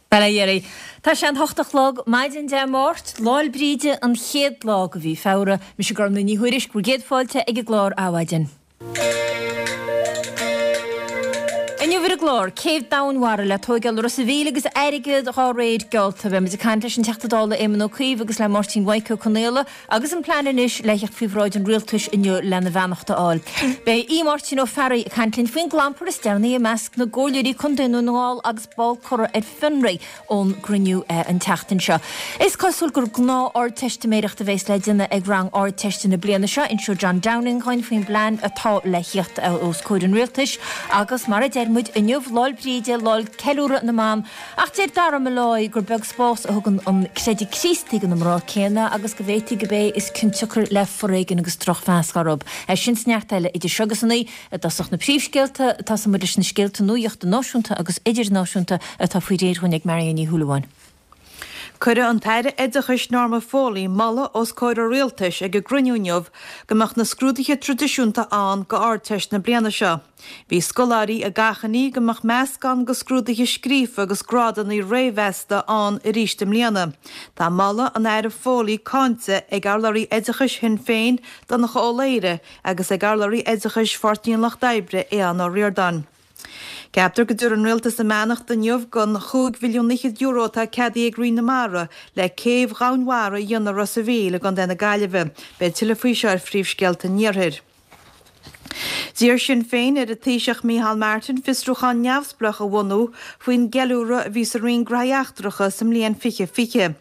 Bail ó Dhia oraibh. Tá sé an h-ocht a chlog, maidin Dé Máirt, Lá'l Bríde, an chéad lá de mhí Feabhra. Mise Gormfhlaith Ní Thuairisg, bhur gcéad fáilte ag an gclár Adhmhaidin. Inniu ar an gclár, céibh domhainmhara le tóigeáil i Ros a' Mhíl agus airgead dhá réir geallta. Beidh muid ag caint leis an Teachta Dála Éamon Ó Cuív agus le Máirtín Mhaidhc Ó Conaola agus an plean anois le theacht faoi bhráid an Rialtais inniu lena bheannacht a fháil. Beidh Aodh Máirtín Ó Fearraigh ag caint linn faoin gclampar is deireanaí i measc na gcomhairleoirí contae i nDún na nGall agus ball curtha ar fionraí ón gcruinniú an tseachtain seo. Is cosúil gur gnáth-Ardteistiméireacht a bheas le déanamh ag rang Ardteiste na bliana seo. Inseoidh John Downing dhúinn faoin bplean atá le thíocht os comhair an Rialtais agus mar a deir muid, inniu Lá'l Bríde, Lá'l Ceiliúradh na mBan, ach deir Dara Molloy gur beag spás a thugann an creideamh Críostaí do na mná céanna agus go bhféadfaí gurb é is ciontsiocair le foréigean agus drochmheas orthu. É sin 's neart eile idir seo agus a naoi. I dtosach na príomhscéalta, tosóidh muid leis na scéalta nuachta náisiúnta agus idirnáisiúnta atá faoi réir dhúinn ag Marion Ní Shúilleabháin. Cuirfidh an tAire Oideachais Norma Foley moladh os comhair an Rialtais ag an gcruinniú inniu go mbeadh na scrúduithe traidisiúnta ann go Ardteist na bliana seo. Bhí scoláirí ag achainí go mbeadh meascán de scrúduithe scríofa agus grádanna réamh-mheasta ann arís i mbliana. Tá moladh an Aire Foley cáinte ag urlabhraí oideachais Shinn Féin, Donncha Ó Laoghaire, agus ag urlabhraí oideachais Pháirtí an Lucht Oibre, Aodhán Ó Ríordáin. Ceaptar go dtabharfaidh an Rialtas a mbeannacht inniu don chúig mhilliún fhichead euro atá ceadaithe ag Roinn na Mara le céibh dhomhainmhara a dhéanamh i Ros a' Mhíl i gContae na Gaillimhe. Beidh tuilleadh faoi seo ar Phríomhscéalta an Iarthair. D'iarr Sinn Féin ar an Taoiseach Micheál Martin fiosrúchán neamhspleách a bhunú faoin gceiliúradh a bhí sa Roinn Gnóthaí Eachtracha sa mbliain 2020.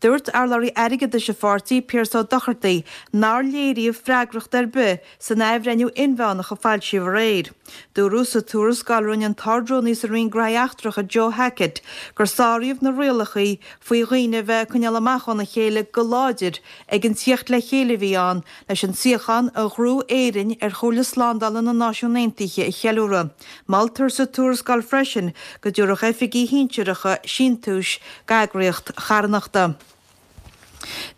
Dúirt urlabhraí airgeadais an pháirtí, Pearse Ó Dochartaigh, nár léiríodh freagracht ar bith san athbhreithniú inmheánach a foilsíodh aréir. Dúradh sa tuarascáil a rinne an tArd-Rúnaí sa Roinn Gnóthaí Eachtracha Joe Hackett gur sáraíodh na rialacha faoi dhaoine a bheith ag coinneáil amach óna chéile go láidir ag an tíocht le chéile a bhí ann leis an suíochán a ghnóthaigh Éirinn ar Chomhairle Slándála na Náisiún Aontaithe a cheiliúradh. Moltar sa tuarascáil freisin go dtabharfadh oifigigh shinsearacha síntiúis d'eagraíocht charthanachta.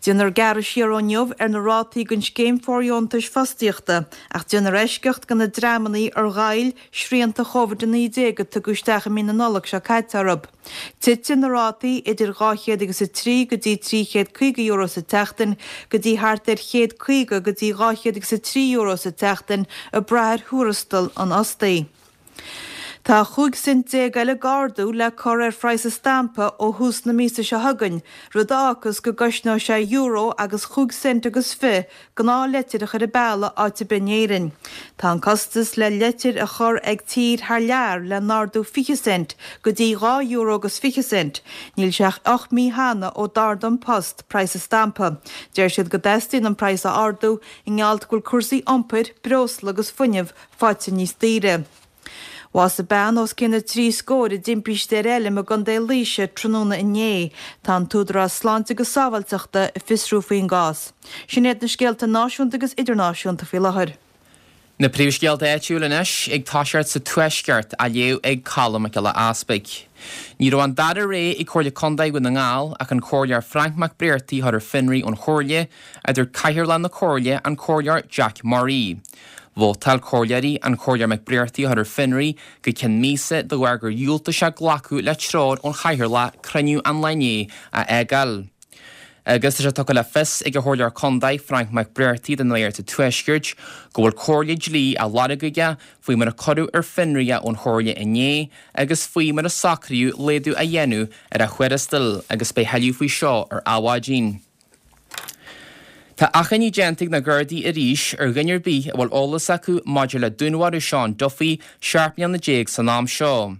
Déanfar gearradh siar ó inniu ar na rátaí don Scéim Fóirdheontais Fostaíochta ach déanfar eisceacht do na dreamanna ar ghoill srianta Covid-19 a tugadh isteach i mí na Nollag seo caite orthu. Titfidh na rátaí idir 200 agus 3 go dtí €350 sa tseachtain go dtí thart ar €150 go dtí €203 sa tseachtain ag brath ar thuarastal an fhostaí. Tá 15 cent eile d'ardú le cur ar phraghas an stampa ó thús na míosa seo chugainn, rud a fhágfas go gcosnóidh sé euro agus chúig cent agus fiche gnáthleitir a chur an bealach áit ar bith in Éirinn. Tá an costas le leitir a chur ag tír thar lear le n-ardú 20 cent go dtí 2 euro agus 20 cent. Níl sé ach 8 mí cheana ó d'ardaigh An Post praghas an stampa. Deir siad go dteastaíonn an praghas a ardú i ngeall go bhfuil cúrsaí iompair, breosla agus fuinnimh faighte níos daoire. Bhásaigh bean os cionn na dtrí scór i dtimpiste ar fheilm i gContae Laoise tráthnóna inné. Tá an tÚdarás Sláinte agus Sábháilteachta ag fiosrú faoin gcás. Sin iad na scéalta náisiúnta agus idirnáisiúnta faoi láthair. Na príomhscéalta áitiúil anois, ag toiseacht sa Tuaisceart, á léamh ag Colm Mac Giolla Easpaig. Ní raibh an dara rogha ag Comhairle Contae Dhún na nGall ach an Comhairleoir Frank Mac Bréartaigh a chur ar fionraí ón Chomhairle, a dúirt Cathaoirleach na Comhairle, an Comhairleoir Jack Murray. Vótáil comhairleoirí an Comhairleoir Mac Bréartaigh a chur ar fionraí go ceann míosa de bharr gur dhiúltaigh sé glacadh le treoir ón Chathaoirleach cruinniú an lae inné a fhágáil. Agus tá sé tugtha le fios ag an Chomhairleoir Contae Frank Mac Bréartaigh don Nuacht sa Tuaisceart go bhfuil comhairle dlí á lorg aige faoi mar a cuireadh ar fionraí é ón Chomhairle inné agus faoi mar a socraíodh laghdú a dhéanamh ar a thuarastal agus beidh thuilleadh faoi seo ar Adhmhaidin. Tá achainí déanta ag na Gardaí arís ar dhuine ar bith a bhfuil eolas acu maidir le dúnmharú Seán Duffy 17 mbliana san am seo.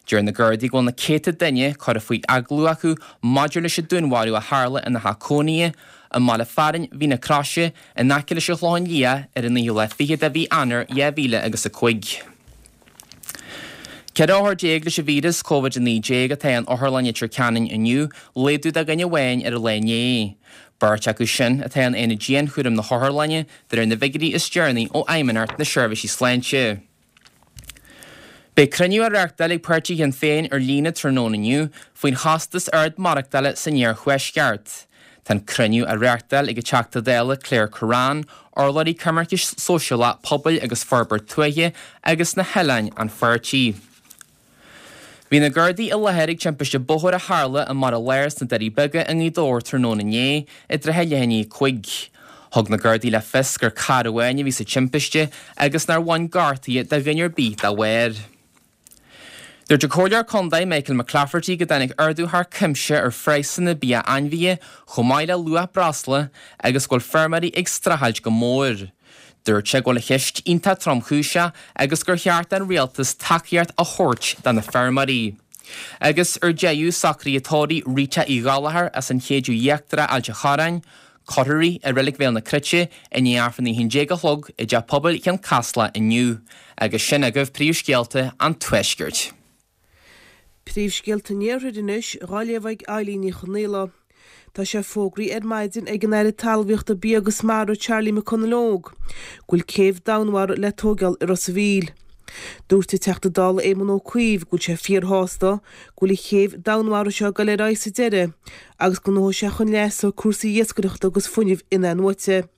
Deir na Gardaí go bhfuil na céadta duine curtha faoi agallamh acu maidir leis an dúnmharú a tharla ina theach cónaithe i mbaile fearainn Mhín na Croise in aice leis an Chlochán Liath ar an naoú lá fichead de mhí Eanáir 2000 agus 5. 14 othar leis an víreas Covid-19 atá in Otharlann Leitir Ceanainn inniu, laghdú de dhuine amháin ar an lá inné. Beirt acu sin atá in aonad dianchúraim na hotharlainne, de réir na bhfigiúirí is deireanaí ó Fheidhmeannacht na Seirbhísí Sláinte. Beidh cruinniú á reáchtáil ag páirtí Shinn Féin ar líne tráthnóna inniu faoin chostas ard maireachtála san iarthuaisceart. Tá an cruinniú á reáchtáil ag an Teachta Dála Claire Kerrane, Urlabhraí Coimirce Sóisialach, Pobail agus Forbairt Tuaithe agus na hOileáin an pháirtí. Bhí na Gardaí i láthair ag timpiste bóthair a tharla i mBarra Láir sna Doirí Beaga i nGaoth Dobhair tráthnóna inné i dtrátha leath i ndiaidh a 5. Thug na Gardaí le fios gur carr amháin a bhí sa timpiste agus nár bhain gortuithe do dhuine ar bith dá bharr. Dúirt an Comhairleoir Contae Michael McClafferty go dtáinig ardú thar cuimse ar phraghsanna bia ainmhithe chomh maith le luach breosla agus go bhfuil feirmeoirí ag streachailt go mór. Dúirt sé go bhfuil an cheist iontach tromchúiseach agus gur cheart don rialtas tacaíocht a thabhairt do na feirmeoirí. Agus ar deireadh, socruithe tórraimh Rita Uí Ghallchóir as an Chéideadh Íochtarach Ailt an Chorráin, Cuirfear í i Reilig Bhéal na Cruite i ndiaidh Aifreann a 11 a chlog i dTeach Pobail Chionn Caslach inniu. Agus sin agaibh príomhscéalta an Tuaiscirt. Príomhscéalta an Iarthair anois, dhá léamh ag Eilín Ní Chonaola. Tá sé fógraithe ar maidin ag an Aire Talmhaíochta, Bia agus Mara Charlie McConalogue go bhfuil céibh domhainmhara le tóigeáil i Ros a' Mhíl. Dúirt an Teachta Dála Éamon Ó Cuív go bhfuil sé fíorshásta go bhfuil an chéibh domhainmhara seo ag dul ar aghaidh sa deireadh agus go ngnóthóidh sé chun leasa cúrsaí iascaireachta agus fuinnimh in-athnuaite.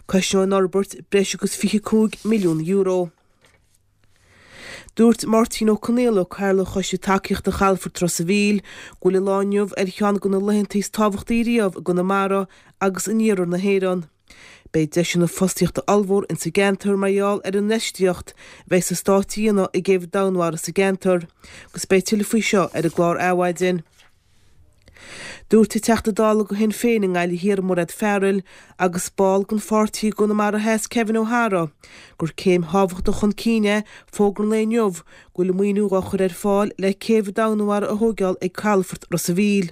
Cosnóidh an fhorbairt breis agus €25 milliún. Dúirt Máirtín Ó Conaola, Cathaoirleach Choiste Tacaíochta Chalafort Ros a' Mhíl, go bhfuil an lá inniu ar cheann de na laethanta is tábhachtaí riamh i gConamara agus in iarthar na hÉireann. Beidh deiseanna fostaíochta ollmhór insa gceantar mar gheall ar an infheistíocht a bheidh an Stát a dhéanamh i gcéibh domhainmhara sa gceantar agus beidh tuilleadh faoi seo ar an gclár Adhmhaidin. Dúirt an Teachta Dála do Shinn Féin i nGaillimh Thiar Mairéad Farrell agus ball den pháirtí i gConamara Theas Kevin O'Hara gur céim thábhachtach chun cinn é fógra an lae inniu go bhfuil maoiniú dhá chur ar fáil le céibh domhainmhara a thóigeáil ag Calafort Ros a' Mhíl.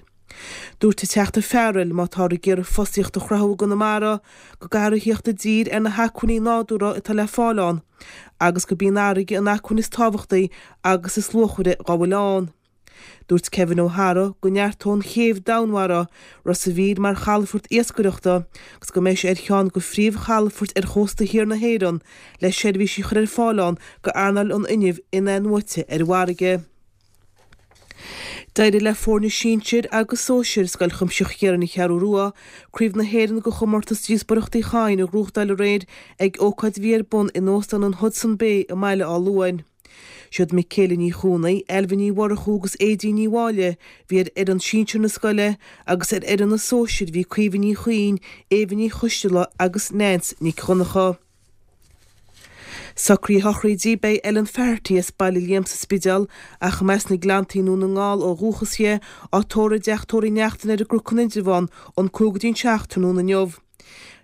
Dúirt an Teachta Farrell má táthar ag iarraidh fostaíocht a chruthú i gConamara go gcaithfear a thíocht i dtír ar na hacmhainní nádúrtha atá le fáil ann agus gurb í an fharraige an acmhainn is tábhachtaí agus is luachmhaire dhá bhfuil ann. Dúirt Kevin O'Hara go neartóidh an chéibh domhainmhara Ros a' Mhíl mar chalafort iascaireachta agus go mbeidh sé ar cheann de phríomhchalafoirt ar chósta thiar na hÉireann le seirbhísí a chur ar fáil ann go earnáil an fhuinnimh in-athnuaite ar an bhfarraige. D'éirigh le foirne sinsir agus sóisir Scoil Chuimsitheach Chiaráin An Cheathrú Rua Craobh na hÉireann de chomórtas Díospóireachta Uí Chadhain a ghnóthachtáil aréir ag ócáid a bhí ar bun in Óstán an Hodson Bay i mBaile Átha Luain. Siad Michaela Ní Chuanaigh, Ailbhe Ní Mhurchú agus Aedín Ní Mháille bhí ar fhoireann sinsir na scoile agus ar fhoireann na sóisir bhí Caoimhe Ní Chuinn, Éabha Ní Choisteala agus Nance Nic Dhonncha. Socruithe a sochraide Beidh Ellen Faherty as Baile Liam sa Spidéal ach as na Gleanntaí i nDún na nGall ó dhúchas di, á tórramh i dteach tórraimh Uí Neachtain ar an gCnoc in Indreabhán ón 5 go dtí an 7 tráthnóna inniu.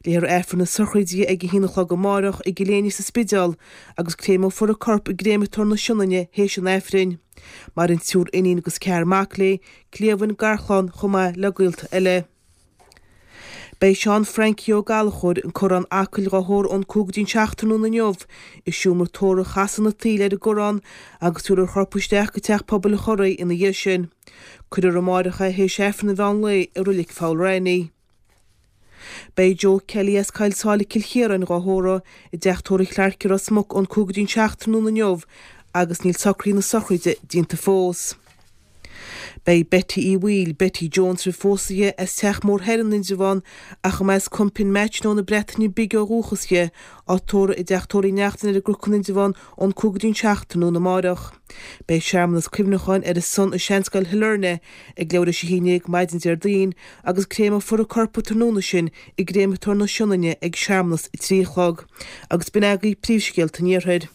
Léifear Aifreann na sochraide ag a haon a chlog amáireach i gCill Éinne sa Spidéal agus créimeofar a corp i gCréamatóir na Sionainne théis an Aifrinn. Maireann triúr iníon agus ceathrar mac léi, cliamhain, garchlann chomh maith le gaolta eile. Beidh Seán Frankie Ó Gallchóir, an Corrán Acaill dhá thórramh ón 5 go dtí an 7 tráthnóna inniu i seomra tórraimh Chasadh na Taoille ar an gCorrán agus tabharfar a chorp isteach go Teach Pobail an Chorraigh ina dhiaidh sin. Cuirfear amáireach é théis Aifreann an mheán lae i Roilic Pholl Raithní. Beidh Joe Kelly as Coill Sáile Cill Chiaráin dhá thórramh i dteach tórraimh Chlarke i Ros Muc ón 5 go dtí an 7 tráthnóna inniu agus níl socruithe na sochraide déanta fós. Beidh Betty Uí Bhaoill, Betty Jones roimh phósadh di, as Teach Mór Thoir in Indreabhán ach as Compin-Matchno na Breataine Bige ó dhúchas di, á tórramh i dteach tórraimh Uí Neachtain ar an gCnoc in Indreabhán ón 5 go dtí an 7 tráthnóna amáireach. Beidh searmanas cuimhneacháin ar a son i Seanscoil Shailearna ag leathuair théis a haon déag maidin Déardaoin agus créimeofar a corp an tráthnóna sin i gCréamatóir na Sionainne ag searmanas a 3 a chlog. Agus b'in agaibh príomhscéalta an Iarthair.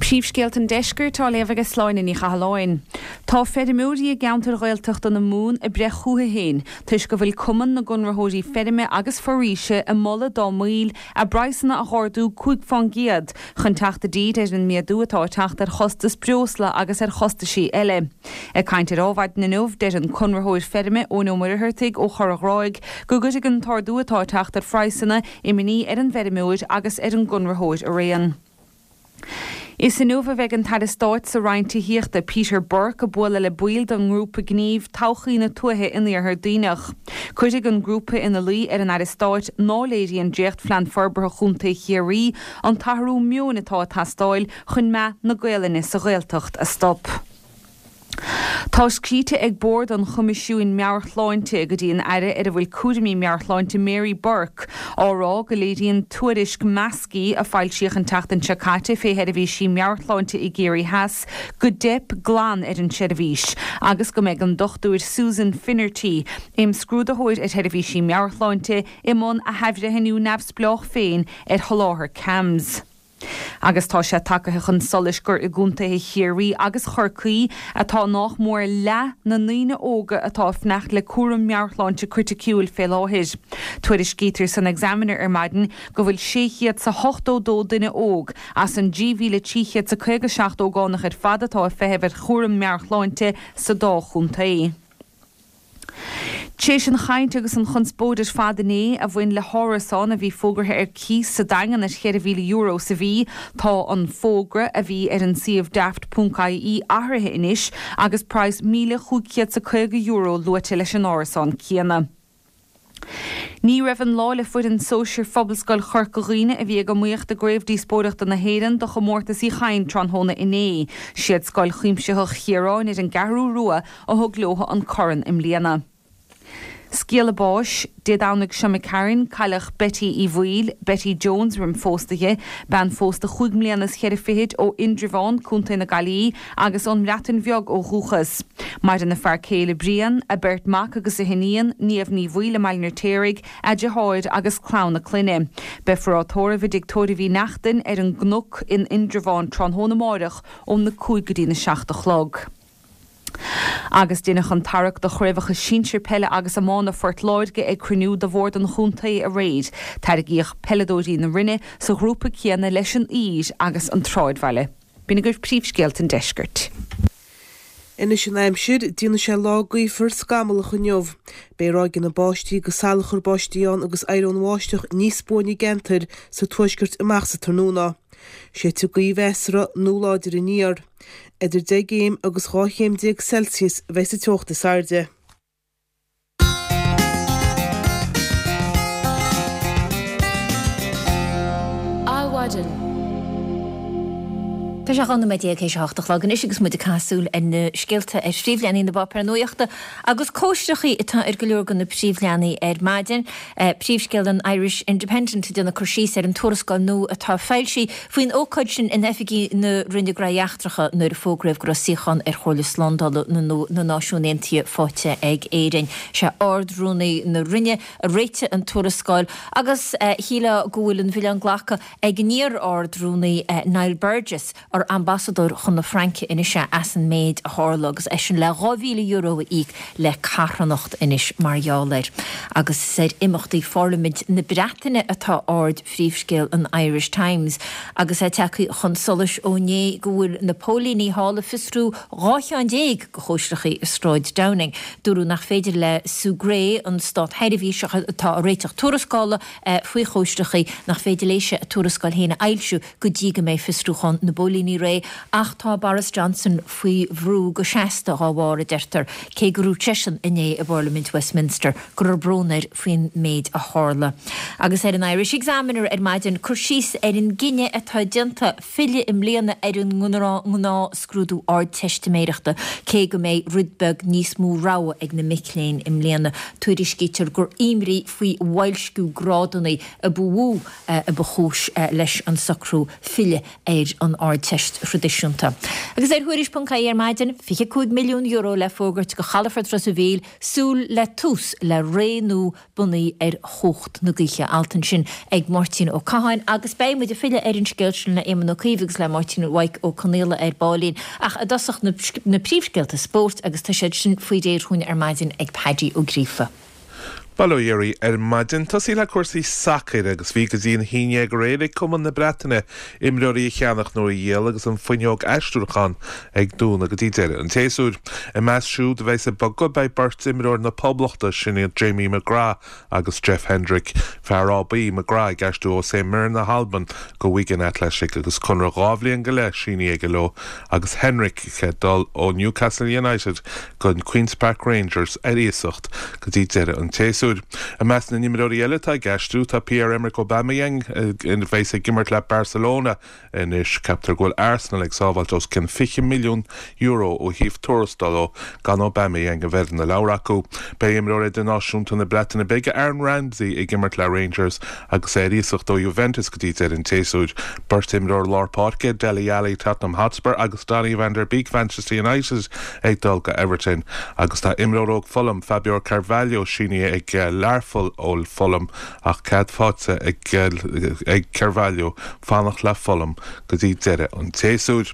Príomhscéalta an Deiscirt á léamh ag Sláine Ní Chathalláin. Tá feirmeoirí i gceantair Ghaeltachta na Mumhan ag breith chúthu féin toisc go bhfuil Cumann na gConraitheoirí Feirme agus Foraoise ag moladh dá mbaill a bpraghsanna a dh'ardú 5% chun teacht i dtír ar an méadú atá ag teacht ar chostas breosla agus ar chostaisí eile. Ag caint ar Adhmhaidin inniu, deir an conraitheoir feirme Eoin Ó Muircheartaigh ó Chorr an Ghráig go gcuirfidh an t-ardú atá ag teacht ar phraghsanna imní ar an bhfeirmeoir agus ar an gconraitheoir araon. Is inniu a bheidh an tAire Stáit sa Roinn Tithíochta, Peter Burke, ag bualadh le baill den ngrúpa gnímh Todhchaí na Tuaithe in Iarthar Duibhneach. Cuirfidh an grúpa ina luí ar an Aire Stáit ná léiríonn dréachtphlean forbartha Chontae Chiarraí an t-athrú meoin atá ag teastáil chun meath na Gaolainne sa Ghaeltacht a stop. Tá scríte ag Bord an Choimisiúin Meabhair-Shláinte go dtí an Aire ar a bhfuil cúraimí meabhairshláinte Mary Burke á rá go léiríonn tuairisc Maskey a foilsíodh an tseachtain seo caite fé sheirbhísí meabhairshláinte i gCiarraí Theas go dteip glan ar an tseirbhís agus go mbeidh an Dr Susan Finnerty, imscrúdaitheoir ar sheirbhísí meabhairshláinte, i mbun a hathbhreithniú neamhspleách féin ar sholáthar CAMHS. Agus tá sé tagaithe chun solais gur i gcontaetha Chiarraí agus Chorcaí atá nách mór leath na ndaoine óga atá ag fanacht le cúram meabhairshláinte criticiúil fé láthair. Tuairiscítear san Examiner ar maidin go bhfuil 682 duine óg as an 3,357 ógánach ar fad atá ag feitheamh ar chúram meabhairshláinte sa dá chontae. Tréis an chaint agus an chonspóid ar fad inné a bhain le hárasán a bhí fógartha ar cíos sa Daingean ar €4,000 sa mhí, tá an fógra a bhí ar an suíomh daft.ie athraithe anois agus praghas €1,550 luaite leis an árasán céanna. Ní raibh an lá le foireann sóisir Phobalscoil Chorca Dhuibhne a bhí ag iomaíocht i gCraobh Díospóireachta na hÉireann do chomórtas Uí Chadhain tráthnóna inné. Siad Scoil Chuimsitheach Chiaráin ar an gCeathrú Rua a thug leo an corn i mbliana. Scéala báis, Dé Domhnaigh seo imigh tharainn, cailleadh Betty Uí Bhaoill, Betty Jones roim phósta di, bean phósta chúig mbliana is cheithre fichid ó Indreabhán, Co. na Gaillimhe, agus ón mBreatain Bheag ó dhúchas. Maireann a fear céile Brian, a beirt mac agus a hiníon, Niamh Ní Bhaoill i mBaile an Fheirtéaraigh, a deartháir agus clann a clainne. Beifear á tórramh i dTigh Tórraimh Uí Neachtain ar an gCnoc in Indreabhán tráthnóna amáireach óna 5 go dtí na 7 a chlog. Agus deineadh an tarrac do chraobhacha sinsir peile agus iomána Phort Láirge ag cruinniú de bhord an chontae aréir. Tairgíodh peileadóirí na Rinne sa ghrúpa céanna leis an Uidhir agus an Tsráidbhaile. B'in agaibh príomhscéalta an deiscirt. Anois an aimsir, déanfaidh sé lá gaofar scamallach inniu. Beidh ráigeanna báistí agus salachar báistí ann agus éireoidh an bháisteach níos buaine i gceantair sa tuaisceart amach sa tráthnóna. Séidfidh gaoth mheasartha nó láidir aniar. Idir 10 gcéim agus 12 chéim Celsius a bheidh sa teocht is airde. Adhmhaidin. Tá sé 12 nóiméad théis a hocht a chlog anois agus muid ag caitheamh súil ar na scéalta ar phríomhleathanaigh na bpáipéar nuachta agus cóistreachaí atá ar go leor de na príomhleathanaigh ar maidin. Príomhscéal an Irish Independent ag déanamh cur síos ar an tuarascáil nua atá foilsithe faoin ócáid sin in oifigí na Roinne Gnóthaí Eachtracha nuair a fógraíodh go raibh suíochán ar Chomhairle Slándála na Náisiún Aontaithe faighte ag Éirinn. Sé Ard-Rúnaí na Roinne a réitigh an tuarascáil agus shílfeá go bhfuil an milleán glactha ag an iar-Ard-Rúnaí Niall Burgess, ar ambasadóir chun na Fraince anois é as an méid a tharla agus eisean le €2,000 a íoc le carthanacht anois mar gheall air. Agus is ar imeachtaí Pharlaimint na Breataine atá aird phríomhscéal an Irish Times agus é tagtha chun solais ó inné go bhfuil na póilíní thall ag fiosrú 12 cheann de chóisreachaí i Sráid Downing. Dúradh nach féidir le Sue Gray, an státsheirbhíseach atá ag réiteach tuarascála faoi chóisreachaí, nach féidir léise a tuarascáil féin a fhoilsiú go dtí go mbeidh fiosrúchán na bpóilíní réidh ach tá Boris Johnson faoi bhrú go seasta dhá bharr, a deirtear, cé gur dhúirt seisean inné i bParlaimint Westminster go raibh brón air faoin méid a tharla. Agus ar an Irish Examiner ar maidin, cur síos ar an gcinneadh atá déanta filleadh i mbliana ar an ngnáthscrúdú Ardteistiméireachta, cé go mbeidh rud beag níos mó rogha ag na mic léinn i mbliana. Tuairiscítear gur imní faoi bhoilsciú grádanna a ba mhó a ba chúis leis an socrú filleadh ar an Ardteist thraidisiúnta. Agus ar Thuairisc.ie ar maidin, €25 milliún le fógairt do chalafort Ros a' Mhíl, súil le tús le ré nua bunaithe ar chumhacht na gaoithe. Alt ansin ag Máirtín Ó Catháin agus beidh muid ag filleadh ar an scéal sin le Éamon Ó Cuív agus le Máirtín Mhaidhc Ó Conghaile ar baillín. Ach i dtosach na príomhscéalta spóirt agus tá siad sin faoi réir dhúinn ar maidin ag Paddy Ó Gríofa. Bail ó Dhia oraibh ar maidin. Tosaí le cúrsaí sacair agus bhí go dtí an 11 aréir ag Cumann na Breataine imreoirí a cheannach nó a dhíol agus an fuinneog aistriúcháin ag dúnadh go dtí deireadh an tséasúir. I measc siúd a bheas ag bogadh beidh beirt imreoir na Poblachta, sin iad Jamie McGrath agus Jeff Hendrick. Fear ábaí, McGrath ag aistriú ó St Mirren na hAlban go Wigan Athletic agus conradh dhá bhliain go leith sínithe aige leo agus Hendrick ag dul ó Newcastle United go Queens Park Rangers ar iasacht go dtí deireadh an tséasúir. tséasúir. I measc na n-imreoirí eile atá ag aistriú tá Pierre-Emerick Aubameyang, a bheas ag imirt le Barcelona anois. Ceaptar go bhfuil Arsenal ag sábháilt os cionn €20 milliún ó thaobh tuarastail ó gan Aubameyang a bheith ar na leabhair acu. Beidh imreoir idirnáisiúnta na Breataine Bige, Aaron Ramsey, ag imirt le Rangers agus é ar iasacht ó Juventus go dtí deireadh an tséasúir. Beirt imreoir lár páirce, Dele Alli, Tottenham Hotspur, agus Donny van der Beek, Manchester United, ag dul go Everton agus tá imreoir óg Fulham, Fabio Carvalho, sínithe ag Learpholl ó Fulham ach cead faighte ag Carvalho fanacht le Fulham go dtí deireadh an tséasúir.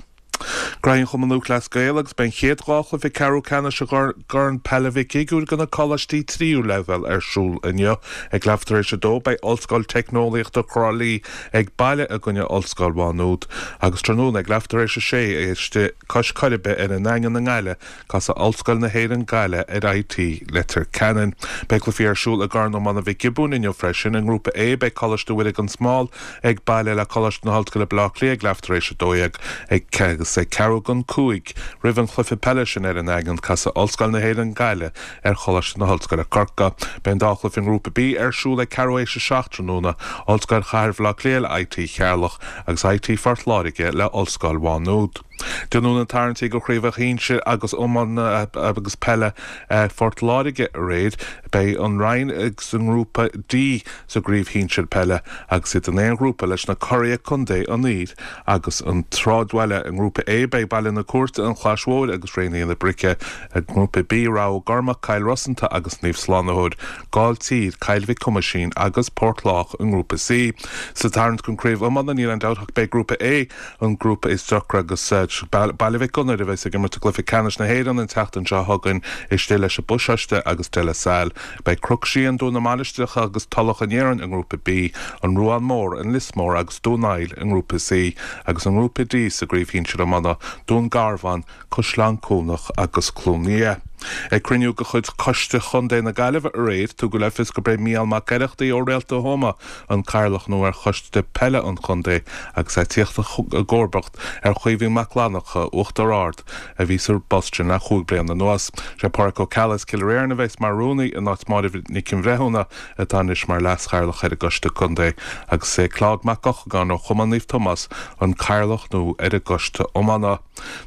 Gnóthaí an Chumann Lúthchleas Gael agus beidh an chéad dá chluiche ceathrú ceannais i gCorn Peile Mhic Shigiúir do na coláistí tríú leibhéal ar siúl inniu. Ag leathuair tar éis a dó beidh Ollscoil Teicneolaíochta Thrá Lí ag baile i gcoinne Ollscoil Mhá Nuad agus tráthnóna ag leathuair tar éis a sé istigh cois Coiribe ar an nDaingean i nGaillimh Casfaidh Ollscoil na hÉireann Gaillimh ar IT Leitir Ceanainn. Beidh cluichí ar siúl i gCorn Iomána Mhic Giobúin inniu freisin. I nGrúpa A, beidh Coláiste Mhuire gan Smál ag baile le Coláiste na hOllscoile Baile Átha Cliath ag leathuair tar éis 12 ag agus ag ceathrú don 5 roimh an chluiche peile sin ar an nDaingean, casfaidh Ollscoil na hÉireann Gaillimh ar Choláiste na hOllscoile Corcaigh. Beidh an dá chluiche i nGrúpa B ar siúl ag ceathrú théis 7 tráthnóna, Ollscoil Chathair Bhaile Átha Cliath le IT Cheatharlach agus IT Phort Láirge le Ollscoil Mhá Nuad. Tráthnóna na tarraingtí do chraobhacha shinsir agus iomána agus peile Phort Láirge aréir. Beidh an Rinn sa ngrúpa D sa gcraobh shinsir peile agus iad in aon ghrúpa leis na curaidh contae An Fhír agus an Sráidbhaile. I ngrúpa A beidh Baile na Cúirte, An Chlais Mhóir agus Réinfhianna na Brice. I ngrúpa B Rath Ó gCormaic, Cill Rosanta agus Naomh Slánaitheoir, Gailltír, Cill Mhic Thomaisín agus Port Lách i ngrúpa C. Sa tarraingt don craobh iomána níl aon dabht ach beidh grúpa A an grúpa is deacra agus Baile Mhic Gonair a bheas ag imirt i gcluiche ceannais na hÉireann an tseachtain seo chugainn istigh leis an bPasáiste agus De La Salle. Beidh Cnoc Síon, Dún na Mainistreacha agus Tulach an Iarainn i ngrúpa B, An Ruán Mór, An Lios Mór agus Dún Aill i ngrúpa C agus i ngrúpa D sa gcraobh shinsir iomána, Dún Garbhán, Caisleán Cuanach agus Cluain Liath. Ag cruinniú de chuid Choiste Chontae na Gaillimhe aréir, tugadh le fios gurb é Mícheál Mac Oireachtaigh ó Réalta Thuama an cathaoirleach nua ar Choiste Peile an Chontae agus é ag tíocht i gcomharbacht ar Chaoimhín Mac Fhlannchadha, Uachtar Ard, a bhí sa bpost sin le chúig bliana anuas. Sé Páraic Ó Ceallaigh as Cill Réirn a bheas mar rúnaí in áit Máire Nic an Bhreithiúna atá anois mar leas-chathaoirleach ar an gCoiste Contae agus is é Claude Mac Eochagáin ó Chumann Naomh Tomás an cathaoirleach nua ar an gCoiste Iomána.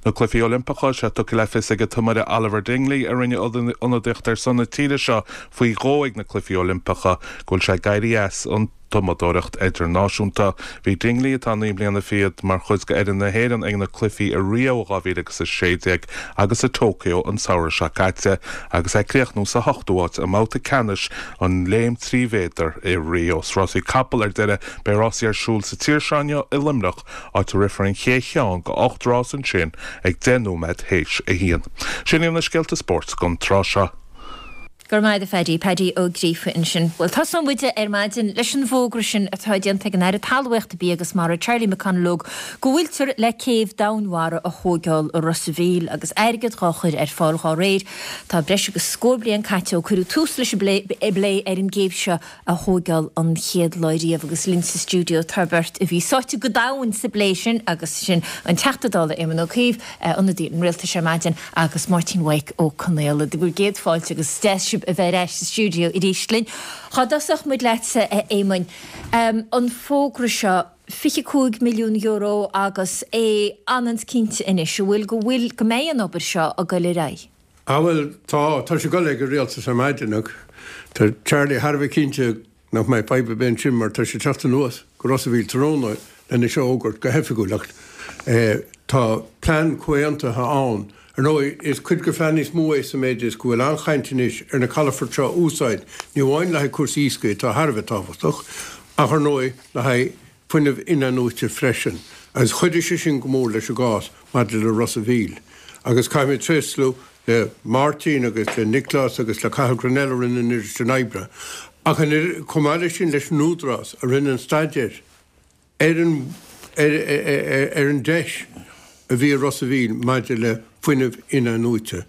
Na Cluichí Oilimpeacha, sé tugtha le fios ag an tiomaire Oliver Dingley, a rinne ionadaíocht ar son na tíre seo faoi dhó ag na Cluichí Oilimpeacha, go bhfuil sé ag éirí as an tumadóireacht idirnáisiúnta. Bhí Dingley, atá naoi mbliana fichead, mar chuid d'fhoireann na hÉireann ag na Cluichí i Rio 2016 agus i Tokyo an samhradh seo caite agus é ag críochnú sa hochtú háit i mbabhta ceannais an léim 3 mhéadar i Rio. Sna rásaí capall ar deireadh, beidh rásaí ar siúl sa tír seo inniu i Luimneach áit a rithfear an chéad cheann de 8 rás ansin ag 10 nóiméad théis a haon. Sin iad na scéalta spóirt don tráth seo. Go raibh maith agat a Phaddy, Paddy Ó Gríofa ansin. Bhuel, tosóidh muid ar maidin leis an bhfógra sin atá déanta ag an Aire Talmhaíochta, Bia agus Mara, Charlie McConalogue, go bhfuiltear le céibh domhainmhara a thóigeáil i Ros a' Mhíl agus airgead dhá chur ar fáil dhá réir. Tá breis agus scór bliain caite ó cuireadh tús leis an bplé ar an gcéibh seo a thóigeáil an chéad lá riamh agus linn sa stiúideo tá beirt a bhí sáite go domhain sa bplé sin agus sin an Teachta Dála Éamon Ó Cuív, ionadaí an Rialtais ar maidin agus Máirtín Mhaidhc Ó Conaola. Bhur gcéad fáilte agus is deas sibh a bheith ar ais sa stiúideo arís linn. Dhá dtosódh muid leatsa a Éamoin, an fógra seo, €25 milliún agus é ionann cinnte anois, an bhfuil, go bhfuil, go mbeidh an obair seo ag goil ar aghaidh? Ah bhuel, tá, tá sé ag dul ag an rialtas ar maidin ach tá Charlie thar a bheith cinnte nach mbeidh fadhb ar bith ansin mar tá sé ag teacht anuas go Ros a' Mhíl tráthnóna lena seo a fhógairt go hoifigiúil ach tá plean comhaontaithe ann. Ar ndóigh, is cuid de phlean níos mó é sa méid is go bhfuil an-chaint anois ar na calafoirt seo a úsáid, ní amháin le haghaidh cúrsaí iascaigh atá thar a bheith tábhachtach, ach ar ndóigh le haghaidh fuinneamh in-athnuaite freisin agus chuidigh sé sin go mór leis an gcás maidir le Ros a' Mhíl. Agus caithfidh mé tréaslú le Máirtín agus le Nioclás agus le Cathal Grennell a rinne an oiread sin oibre ach chomh maith leis sin leis an Údarás a rinne an staidéar ar an ar an deis a bhí i Ros a' Mhíl maidir le fuinneamh in-athnuaite.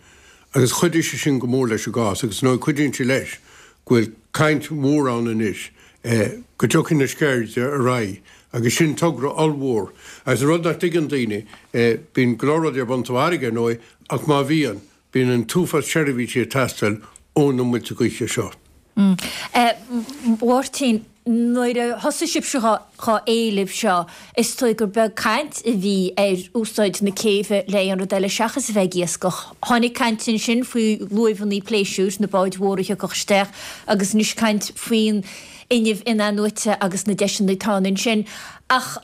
Agus chuidigh sé sin go mór leis an gcás agus ar ndóigh cuidíonn sé leis go bhfuil caint mhór ann anois go dtiocfaidh na Sceirde ar aghaidh agus sin togra ollmhór. Agus an rud nach dtuigeann daoine, bíonn go leor rudaí ar bun sa bhfarraige ar ndóigh ach má bhíonn, bíonn an t-uafás seirbhísí ag teastáil ó na muilte gaoithe seo. A Mháirtín, nuair a thosaigh sibhse dhá éileamh seo, is dóigh gur beag caint a bhí ar úsáid na céibhe le aon rud eile seachas a bheith ag iascach. Tháinig caint ansin faoi luaimheanna pléisiúir, na báid mhóra a thiocfadh isteach, agus anois caint faoin fhuinneamh in-athnuaite agus na deiseanna atá ann ansin. Ach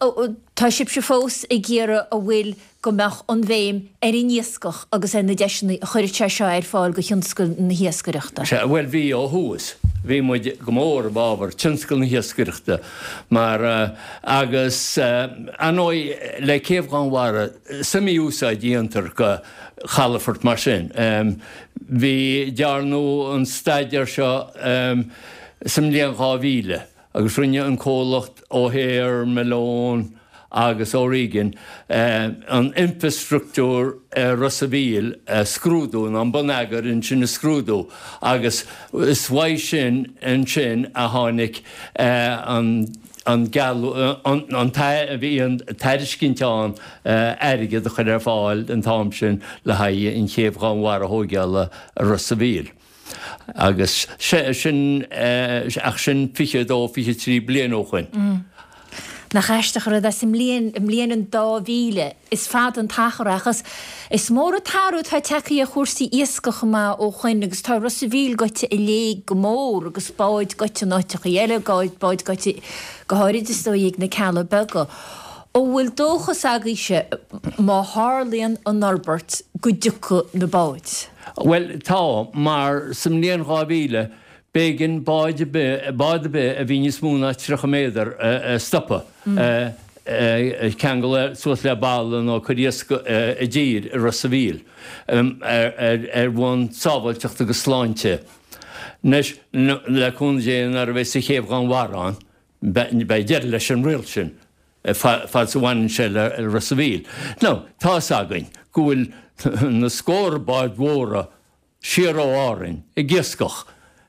tá sibhse fós ag iarraidh an bhfuil go mbeadh an bhéim ar an iascach agus ar na deiseanna a chuirfeadh sé seo ar fáil do thionscal na hiascaireachta. Sea, bhuel bhí ó thús. Bhí muid go mór i bhfabhar tionscal na hiascaireachta mar, agus ar ndóigh le Céibh Dhonnmhara is iomaí úsáid a dhéantar go chalafort mar sin. Bhí, dearnadh an staidéar seo sa mbliain 2000. agus rinne an comhlacht O'Hare, Malone agus O'Regan an infreastruchtúr ar Ros a' Mhíl a scrúdú, nó an bonneagar ansin a scrúdú, agus is uaidh sin ansin a tháinig an an an bhí an tairiscint ann airgead a chur ar fáil an t-am sin le haghaidh an chéibh Dhonnmhara a thóigeáil i Ros a' Mhíl. Agus sin, ach sin 22, 23 bliain ó shoin. Nach aisteach an rud é, sa mbliain, i mbliain an 2000, is fada an t-achar é, ach is, is mór an t-athrú atá tagtha ar chúrsaí iascaigh chomh maith ó shoin agus tá Ros a' Mhíl gaibhte i léig go mór agus báid gaibhte in áiteachaí eile, báid gaibhte go háirid is dóigh ag na Cealla Beaga. An bhfuil dóchas agaibhse má tharlaíonn an fhorbairt go dtiocfaidh na báid? Bhuel, tá, mar sa mbliain 2000, b'éigean báid ar bith, bád ar bith a bhí níos mó ná 30 méadar a stopadh, a cheangal suas le balla nó cur iasc i dtír i Ros a' Mhíl, ar bhonn sábháilteachta agus sláinte. Anois, le cúnamh Dé, nuair a bheas an chéibh Dhonnmhara ann, beidh deireadh leis an riail sin, fad is a bhaineann sé le Ros a' Mhíl. Now, tá fhios againn go bhfuil na scórtha báid mhóra siar ó Árainn ag iascach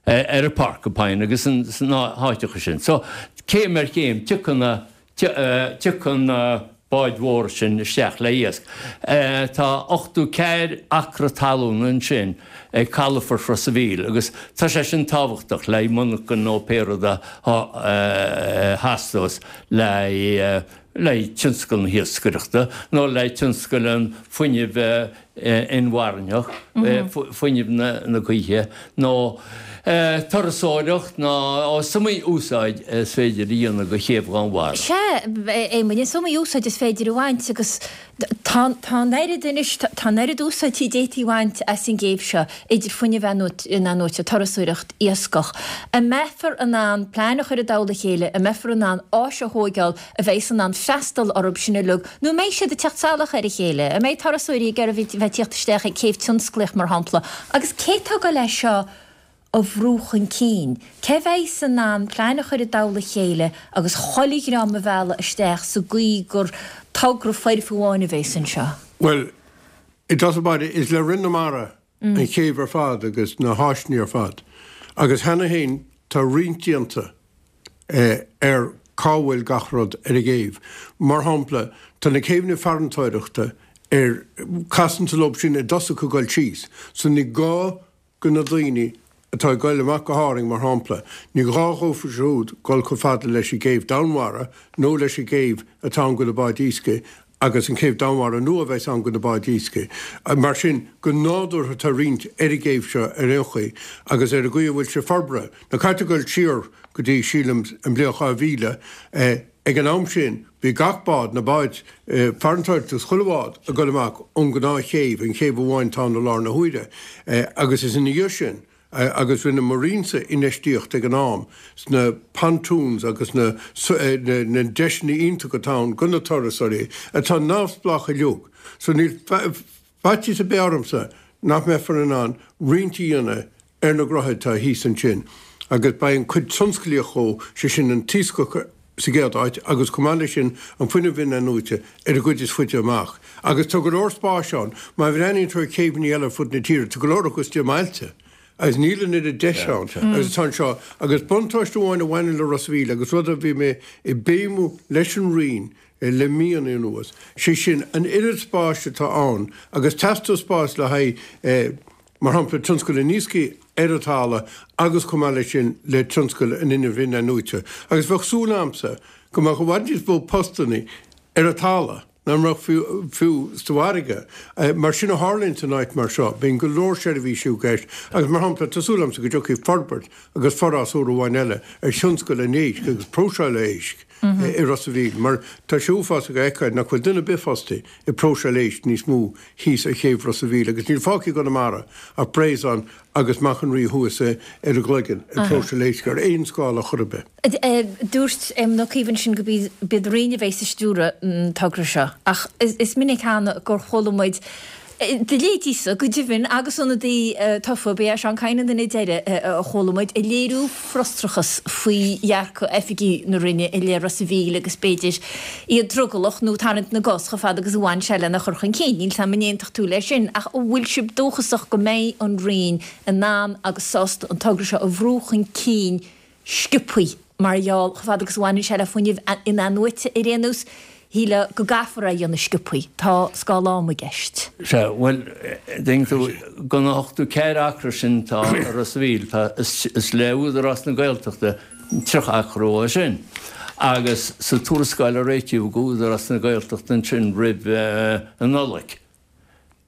ar an Porcupine agus sna háiteacha sin. So, céim ar chéim, tiocfaidh na, tiocfaidh na báid mhóra sin isteach le iasc. Tá 84 acra talún ansin ag calafort Ros a' Mhíl agus tá sé sin tábhachtach le monarchan nó pé rud a theastós le le tionscal na hiascaireachta nó le tionscal an fuinnimh inmharthana, fuinneamh na gaoithe nó turasóireacht nó is iomaí úsáid is féidir a dhéanamh de chéibh Dhonnmhara. Sea, Éamoinn, is iomaí úsáid is féidir a bhaint agus tá an oiread anois, tá an oiread úsáidí a d'fhéadfaí a bhaint as an gcéibh seo, idir fuinneamh inathnuaite, turasóireacht, iascach. An mbeifear in ann plean a chur i dtoll a chéile, an mbeifear in ann áis a thóigeáil a bheidhs in ann freastal orthu sin uilig, nó an mbeidh siad ag teacht salach ar a chéile? An mbeidh turasóirí ag iarraidh bheith ag tíocht isteach ag céibh tionsclaíoch, mar shampla? Agus cé atá ag goil é seo a bhrú chun cinn? Cé bheidhs in ann plean a chur i dtoll a chéile agus chuile dhream a mhealladh isteach sa gcaoi gur togra foirfe amháin a bheas anseo? Bhuel, i dtosach báire, is le Roinn na Mara an chéibh ar fad agus na háiseanna ar fad. Agus cheana féin tá roinnt déanta ar cá bhfuil gach rud ar an gcéibh. Mar shampla, tá na céibheanna farantóireachta ar, casann tú leo sin i dtosach ag dul síos, so ní gá go na daoine atá ag goil amach go hÁrainn, mar shampla, ní gá dhófa siúd dul chomh fada leis an gcéibh Dhonnmhara nó leis an gcéibh atá ann go na báid iascaigh agus an chéibh Dhonnmhara nua a bheas ann go na báid iascaigh. Mar sin, go nádúrtha tá roinnt ar an gcéibh seo ar aon chaoi agus ar an gcaoi a bhfuil sé forbartha. Now caithfidh tú dul siar go dtí, sílim, an bhliain 2000. Ag an am sin bhí gach bád, na báid farantóireachta agus chuile bhád ag dul amach ón ngnáthchéibh, an chéibh amháin atá ann i láthair na huaire. Agus is ina dhiaidh sin, agus rinne mo Roinnse infheistíocht ag an am sna pontoons agus na na deiseanna iontacha atá ann go na turasóirí atá neamhspleách uilig. So níl faitíos ar bith ormsa nach mbeifear in ann roinnt a dhéanamh ar na gnóthaí atá thíos ansin agus beidh an cuid tionsclaíoch dhó, sé sin an t-iascach sa gcéad áit agus chomh maith leis sin an fuinneamh in-athnuaite ar an gcuid is faide amach. Agus tá go leor spáis ann. Má bhreathnaíonn tú ar chéibheanna eile ar fud na tíre, tá go leor acu istigh i mbailte agus níl an oiread deis ann agus atá anseo. Agus buntáiste amháin a bhaineann le Ros a' Mhíl agus rud a bhí mé ag béimiú leis an Roinn le míonna anuas, sé sin an oiread spáis atá ann agus teastóidh spás le haghaidh, mar shampla, tionscal an iascaigh. ar an talamh agus chomh maith leis sin le tionscal an fhuinnimh in-athnuaite. Agus bheadh súil a'msa go mbeadh i bhfad níos mó postannaí ar an talamh ná mar a bheadh fiú sa bhfarraige. Mar sin a tharlaíonn in áit mar seo, bíonn go leor seirbhísí i gceist agus mar shampla tá súil a'msa go dtiocfaidh forbairt agus forás úr amháin eile ar thionscal an éisc agus próiseáil éisc i Ros a' Mhíl mar tá sé uafásach a fheiceáil nach bhfuil duine ar bith fostaithe ag próiseáil éisc níos mó thíos ar chéibh Ros a' Mhíl agus níl fágtha i gConamara ach Breizon agus Machaire an Rí thuas ar an gCloigeann ag próiseáil éisc ar aon scála chor ar bith. Dúirt Éamon Ó Cuív ansin gurb iad an Roinn a bheas ag stiúradh an togra seo ach is minic cheana gur chuala muid Do leithéidíse, go deimhin, agus ionadaí tofa, ba é Seán Kyne an duine deiridh a chuala muid ag léiriú frustrachas faoi dhearcadh oifigigh na Roinne i leith Ros a' Mhíl agus b'fhéidir iad drogallach nó tarraingt na gcos chomh fada agus a bhain sé lena chur chun cinn. Níl 's a'm an aontódh tú leis sin, ach an bhfuil sibh dóchasach go mbeidh an Roinn in ann agus sásta an togra seo a bhrú chun cinn sciobthaí, mar gheall, chomh fada agus a bhaineann sé le fuinneamh in-athnuaite ar aon nós, shílfeá go gcaithfear é a dhéanamh sciobthaí. Tá scála ama i gceist. Sea, bhuel, tuigeann tú, de na 84 acra sin atá i Ros a' Mhíl, tá, is le Údarás na Gaeltachta 30 acra uathu sin. Agus sa tuarascáil a réitíodh do Údarás na Gaeltachta ansin roimh an Nollaig,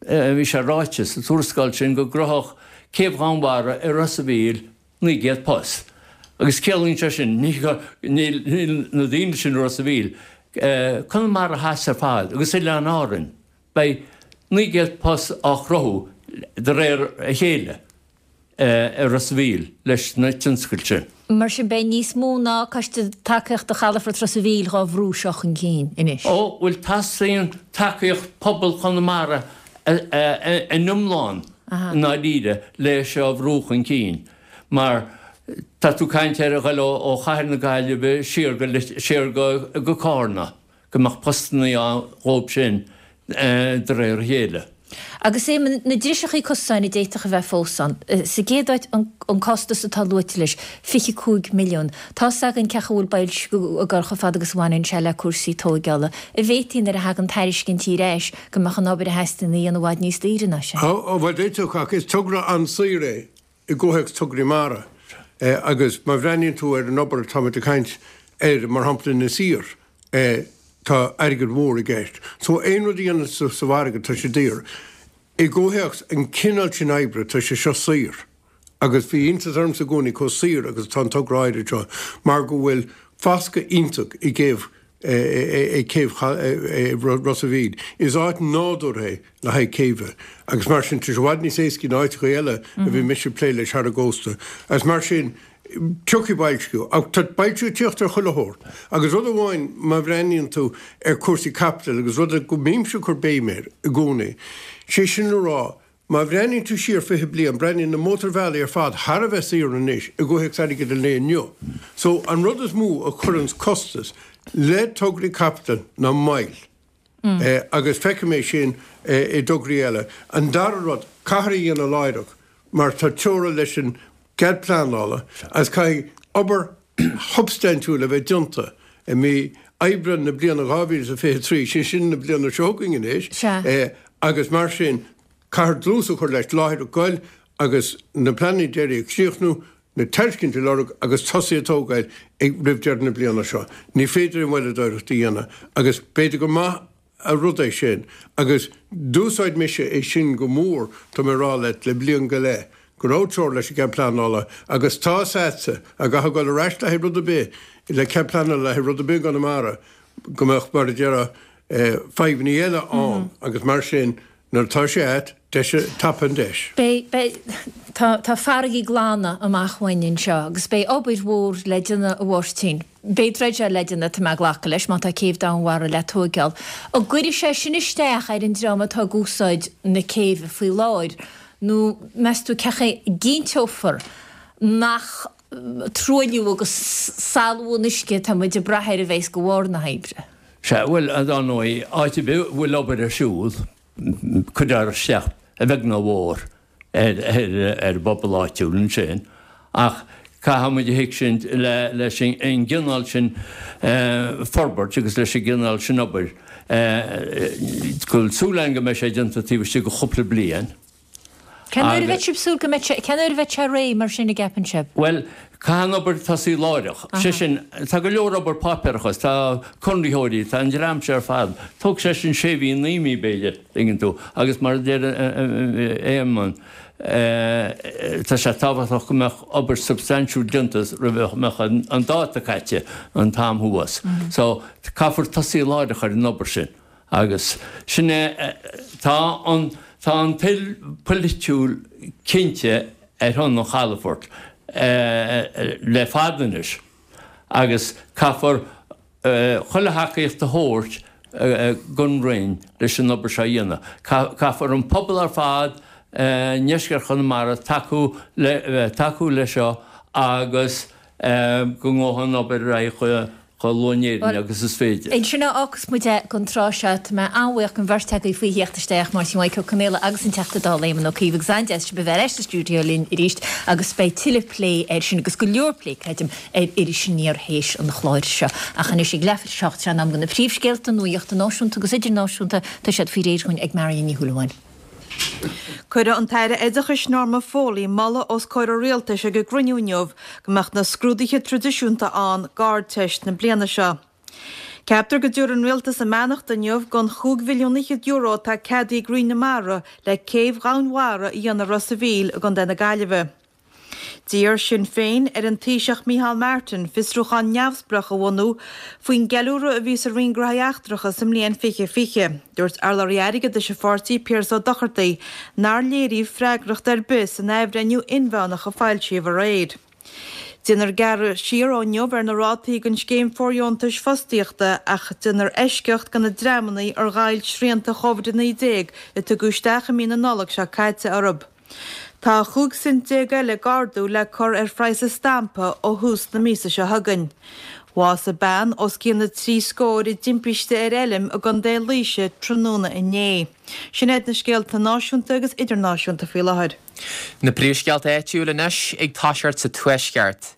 bhí sé ráite sa tuarascáil sin go gcruthódh Céibh Dhomhanmhara i Ros a' Mhíl 900 post. Agus ciallaíonn sé sin, níl na daoine sin i Ros a' Mhíl, Conamara Theas ar fad agus Oileáin Árainn, beidh 900 post á chruthú de réir a chéile i Ros a' Mhíl leis na tionscail sin. Mar sin beidh níos mó ná Coiste Tacaíochta Chalafort Ros a' Mhíl dhá bhrú seo chun cinn anois. Ó, bhuel teastaíonn tacaíocht pobal Chonamara in iomlán i ndáiríre le seo a bhrú chun cinn mar tá tú ag caint ar a ghoil ó chathair na Gaillimhe siar go siar go Cárna go mbeadh postannaí ann dhóibh sin de réir a chéile. Agus Éamonn, na driseachaí cosáin a d'fhéadfadh a bheith fós ann. Sa gcéad áit, an costas atá luaite leis, 25 milliún. Tá's againn cén chaoi a bhfuil boilsciú ag dul chomh fada agus a bhaineann sé le cúrsaí tóigeála. An bhféadfaí nuair a thagann tairiscintí ar ais go mbeadh an obair a theastaíonn a dhéanamh i bhfad níos daoire ná sin? Ó, bhuel, d'fhéadfadh, ach is togra an-saor é i gcomhthéacs tograí mara agus má bhreathnaíonn tú ar an obair atáimid ag caint air, mar shampla in Inis Oírr, tá airgead mhór i gceist. So aon rud a dhéanamh sa bhfarraige, tá sé daor. I gcomhthéacs an cineál sin oibre, tá sé seo saor. Agus bhí iontas ormsa i gcónaí chomh saor agus atá an togra áirid seo mar go bhfuil foscadh iontach i gcéibh ag céibh Ros a' Mhíl. Is áit nádúrtha é le haghaidh céibhe agus mar sin tá sé i bhfad níos éascaí ná áiteacha eile a bhí mise ag plé leis thar an gcósta. Agus mar sin tiocfaidh boilsciú. Ach tá boilsciú ag tíocht ar chuile shórt. Agus rud amháin má bhreathnaíonn tú ar cúrsaí caipitil agus rud go mbímse ag cur béim air i gcónaí, sé sin le rá Má bhreathnaíonn tú siar 20 bliain, breathnaíonn na mótarbhealaí ar fad thar a bheith saor anois i gcomhthéacs airgead an lae inniu. So, an rud is mó a chuireanns costas le tograí caipitil ná moill. Agus feicim é sin i dtograí eile. An dara rud, caithfear é a dhéanamh láithreach mar tá teora leis an gcead pleanála agus caithfidh obair shubstaintiúil a bheith déanta i mí Aibreán na bliana 2023, sé sin na bliana seo chugainn anois, agus mar sin caithfear dlús a chur leis láithreach goil agus na pleananna deiridh a chríochnú, na tairiscintí a lorg agus tosaí ag tógáil roimh deireadh na bliana seo. Ní féidir aon mhoilleadóireacht a dhéanamh agus b'fhéidir gur maith an rud é sin agus d'úsáid mise é sin go mór, tá mé ag rá leat, le bliain go leith, go raibh teora leis an gcead pleanála agus tá 'fhios a'dsa, dá gcaithfeá dul ar ais le haghaidh rud ar bith, le cead pleanála le haghaidh rud ar bith i gConamara, go mbeadh, mar a déarfá, fadhbannaí eile ann agus mar sin, nuair atá sé a'd, deis, tapaigh an deis. Beidh, beidh, tá, tá farraigí glana amach uainn anseo agus beidh obair mhór le déanamh a Mháirtín. Beidh dreideáil le déanamh, tá mé ag glacadh leis, má tá céibh Domhainmhara le tóigeáil. An gcuirfidh sé sin isteach ar an dream atá ag úsáid na céibhe faoi láthair nó meas tú cén chaoi a gcinnteofar nach truailliú agus salú an uisce atá muid ag brath air a bheas de bharr na hoibre? Sea, bhuel, dar ndóigh, áit ar bith a bhfuil obair ar siúl, cuirfear isteach a bheag nó a mhór ar an bpobal áitiúil ansin ach caithfidh muid a thuigsint leis an gcineál sin forbairt agus leis an gcineál sin obair go bhfuil súil againn go mbeidh sé déanta taobh istigh de chúpla bliain. Cén uair a bheadh sibh súil go mbeidh sé, cén uair a bheidh sé réidh mar sin a gceapann sibh? Bhuel, caithfidh an obair tosaí láithreach. Sé sin, tá go leor obair páipéarachas, tá conraitheoirí, tá an dream seo ar fad. Tógfaidh sé sin sé mhí, 9 mí b'fhéidir, tuigeann tú. Agus mar a deir Éamonn, tá sé tábhachtach go mbeadh obair substaintiúil déanta roimh a mbeadh an dáta caite, an t-am thuas. So, caithfear tosaí láithreach ar an obair sin. Agus sin é, tá an, tá an toil pholaitiúil cinnte ar shon an chalafoirt le fada anois agus caithfear chuile thacaíocht a thabhairt don Roinn leis an obair seo a dhéanamh. Caithfear an pobal ar fad i ndeisceart Chonamara tacú le, tacú leis seo agus go ngabhfaidh an obair ar aghaidh chomh luath in Éirinn agus is féidir. Ansin a fhágfas muid é don tráth seo. Tá mé an-bhuíoch den bheirt agaibh faoi theacht isteach, Máirtín Mhaidhc Ó Conghaile agus an Teachta Dála Éamon Ó Cuív agus an-deas sibh a bheith ar ais sa stiúideo linn arís agus beidh tuilleadh plé air sin agus go leor plé, creidim, ar Iris Aniar théis an chláir seo. Ach anois ag leathuair tar éis a 7 sé in am do na príomhscéalta nuachta náisiúnta agus idirnáisiúnta, tá siad faoi réir dhúinn ag Marion Ní Shúilleabháin. Cuireadh an tAire Oideachais Norma Foley moladh os comhair an Rialtais ag an gcruinniú inniu go mbeadh na scrúduithe traidisiúnta ann d'Ardteist na bliana seo. Ceaptar go dtabharfaidh an Rialtas a mbeannacht inniu don chúig mhilliún fhichead euro atá ceadaithe ag Roinn na Mara le céibh dhomhainmhara a dhéanamh i Ros a' Mhíl i gContae na Gaillimhe. D'iarr Sinn Féin ar an Taoiseach Micheál Martin fiosrúchán neamhspleách a bhunú faoin gceiliúradh a bhí sa Roinn Gnóthaí Eachtracha sa mbliain 2020. Dúirt urlabhraí airgeadais an pháirtí, Piaras Ó Dochartaigh, nár léiríodh freagracht ar bith san athbhreithniú inmheánach a foilsíodh aréir. Déanfar gearradh siar ó inniu ar na rátaí don scéim fóirdheontais fostaíochta ach déanfar eisceacht do na dreamanna ar ghoill srianta Covid-19 a tugadh isteach i mí na Nollag seo caite orthu. Tá 15 cent eile d'ardú le cur ar phraghas an stampa ó thús na míosa seo chugainn. Bhásaigh bean os cionn na dtrí scór i dtimpiste ar fheilm i gContae Laoise tráthnóna inné. Sin iad na scéalta náisiúnta agus idirnáisiúnta faoi láthair. Na príomhscéalta áitiúil anois ag toiseacht sa Tuaisceart.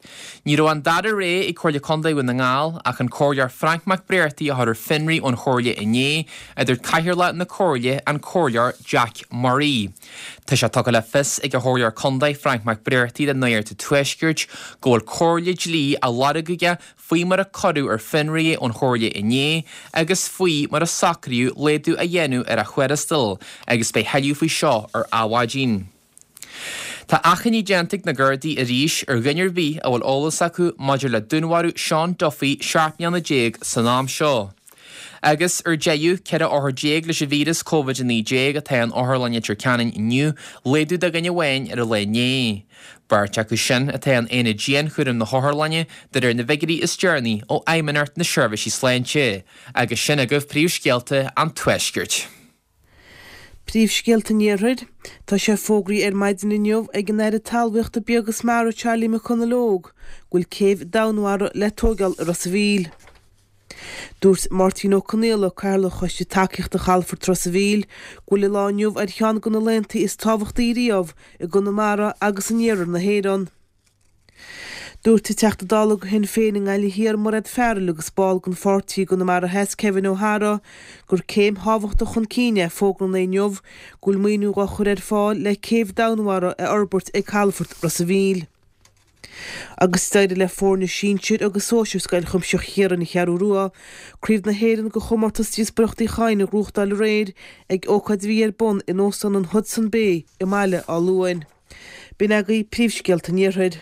Ní raibh an dara rogha ag Comhairle Contae Dhún na nGall ach an Comhairleoir Frank Mac Bréartaigh a chur ar fionraí ón Chomhairle inné, a dúirt Cathaoirleach na Comhairle, an Comhairleoir Jack Murray. Tá sé tugtha le fios ag an Chomhairleoir Contae Frank Mac Bréartaigh le Nuacht an Tuaiscirt go bhfuil comhairle dlí á lorg aige faoi mar a cuireadh ar fionraí é ón Chomhairle inné agus faoi mar a socraíodh laghdú a dhéanamh ar a thuarastal agus beidh thuilleadh faoi seo ar Adhmhaidin. Tá achainí déanta ag na Gardaí arís ar dhuine ar bith a bhfuil eolas acu maidir le dúnmharú Seán Duffy 17 mbliana san am seo. Agus ar deireadh, 14 othar leis an víreas Covid-19 atá in Otharlann Leitir Ceanainn inniu, laghdú de dhuine amháin ar an lá inné. Beirt acu sin atá in aonad dianchúraim na hotharlainne, de réir na bhfigiúirí is deireanaí ó Fheidhmeannacht na Seirbhísí Sláinte. Agus sin agaibh príomhscéalta an Tuaiscirt. Príomhscéalta an Iarthair. Tá sé fógraithe ar maidin inniu ag an Aire Talmhaíochta, Bia agus Mara Charlie McConalogue go bhfuil céibh domhainmhara le tóigeáil i Ros a' Mhíl. Dúirt Máirtín Ó Conaola, Cathaoirleach Choiste Tacaíochta Chalafort Ros a' Mhíl, go bhfuil an lá inniu ar cheann de na laethanta is tábhachtaí riamh i gConamara agus in iarthar na hÉireann. Dúirt an Teachta Dála do Shinn Féin i nGaillimh Thiar, Mairéad Farrell agus ball den pháirtí i gConamara Theas, Kevin O'Hara, gur céim thábhachtach chun cinn é fógra an lae inniu go bhfuil maoiniú á chur ar fáil le céibh domhainmhara a fhorbairt ag Calafort Ros a' Mhíl. Agus d'éirigh le foirne sinsir agus sóisir Scoil Chuimsitheach Chiaráin an Cheathrú Rua Craobh na hÉireann de chomórtas Díospóireacht Uí Chadhain a ghnóthachtáil aréir ag ócáid a bhí ar bun in Óstán an Hodson Bay i mBaile Átha Luain. B'in agaibh príomhscéalta an Iarthair.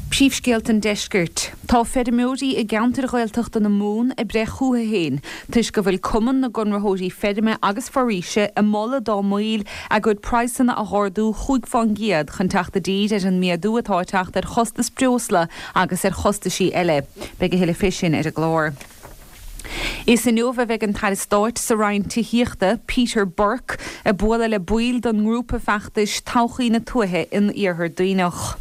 Príomhscéalta an Deiscirt. Tá feirmeoirí i gceantair Ghaeltachta na Mumhan ag breith chucu féin toisc go bhfuil Cumann na gConraitheoirí Feirme agus Foraoise ag moladh dá mbaill a gcuid praghsanna a dh'ardú chúig fán gcéad chun teacht i dtír ar an méadú atá ag teacht ar chostas breosla agus ar chostaisí eile. Beidh a thuilleadh fé sin ar an gclár. Is inniu a bheidh an tAire Stáit sa Roinn Tithíochta, Peter Burke, ag bualadh le baill den ngrúpa feachtais Todhchaí na Tuaithe in Iarthar Duibhneach.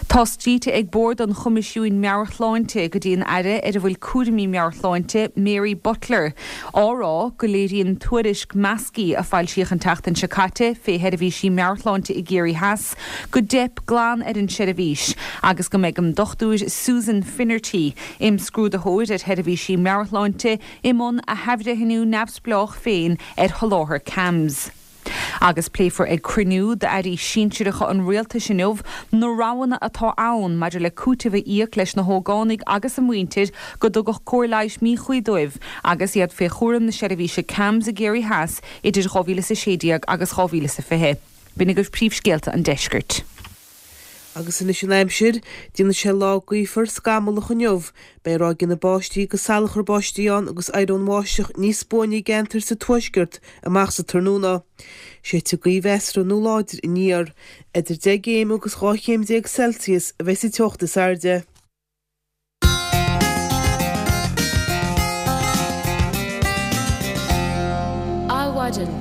Tá scríte ag Bord an Choimisiúin Meabhair-Shláinte go dtí an Aire ar a bhfuil cúraimí meabhairshláinte, Mary Butler, á rá go léiríonn tuairisc Maskey a foilsíodh an tseachtain seo caite fé sheirbhísí meabhairshláinte i gCiarraí Theas go dteip glan ar an tseirbhís agus go mbeidh an Dr Susan Finnerty, Imscrúdaitheoir ar sheirbhísí meabhairshláinte i mbun a hathbhreithniú neamhspleách féin ar sholáthar CAMHS. Agus pléifear ag cruinniú d'airí sinsearacha an rialtais inniu na roghanna atá ann maidir le cúiteamh a íoc leis na hógánaigh agus a muintir go dtugadh cóir leighis míchuí dóibh agus iad fé chúram na seirbhíse CAMHS i gCiarraí Theas idir 2016 agus 2020. B'in agaibh príomhscéalta an deiscirt. Agus anois an aimsir, déanfaidh sé lá gaofar scamallach inniu. Beidh ráigeanna báistí agus salachar báistí ann agus éireoidh an bháisteach níos buaine i gceantair sa tuaisceart amach sa tráthnóna. Séidfidh gaoth mheasartha nó láidir aniar. Idir 10 gcéim agus 12 chéim Celsius a bheidh sa teocht is airde. Adhmhaidin.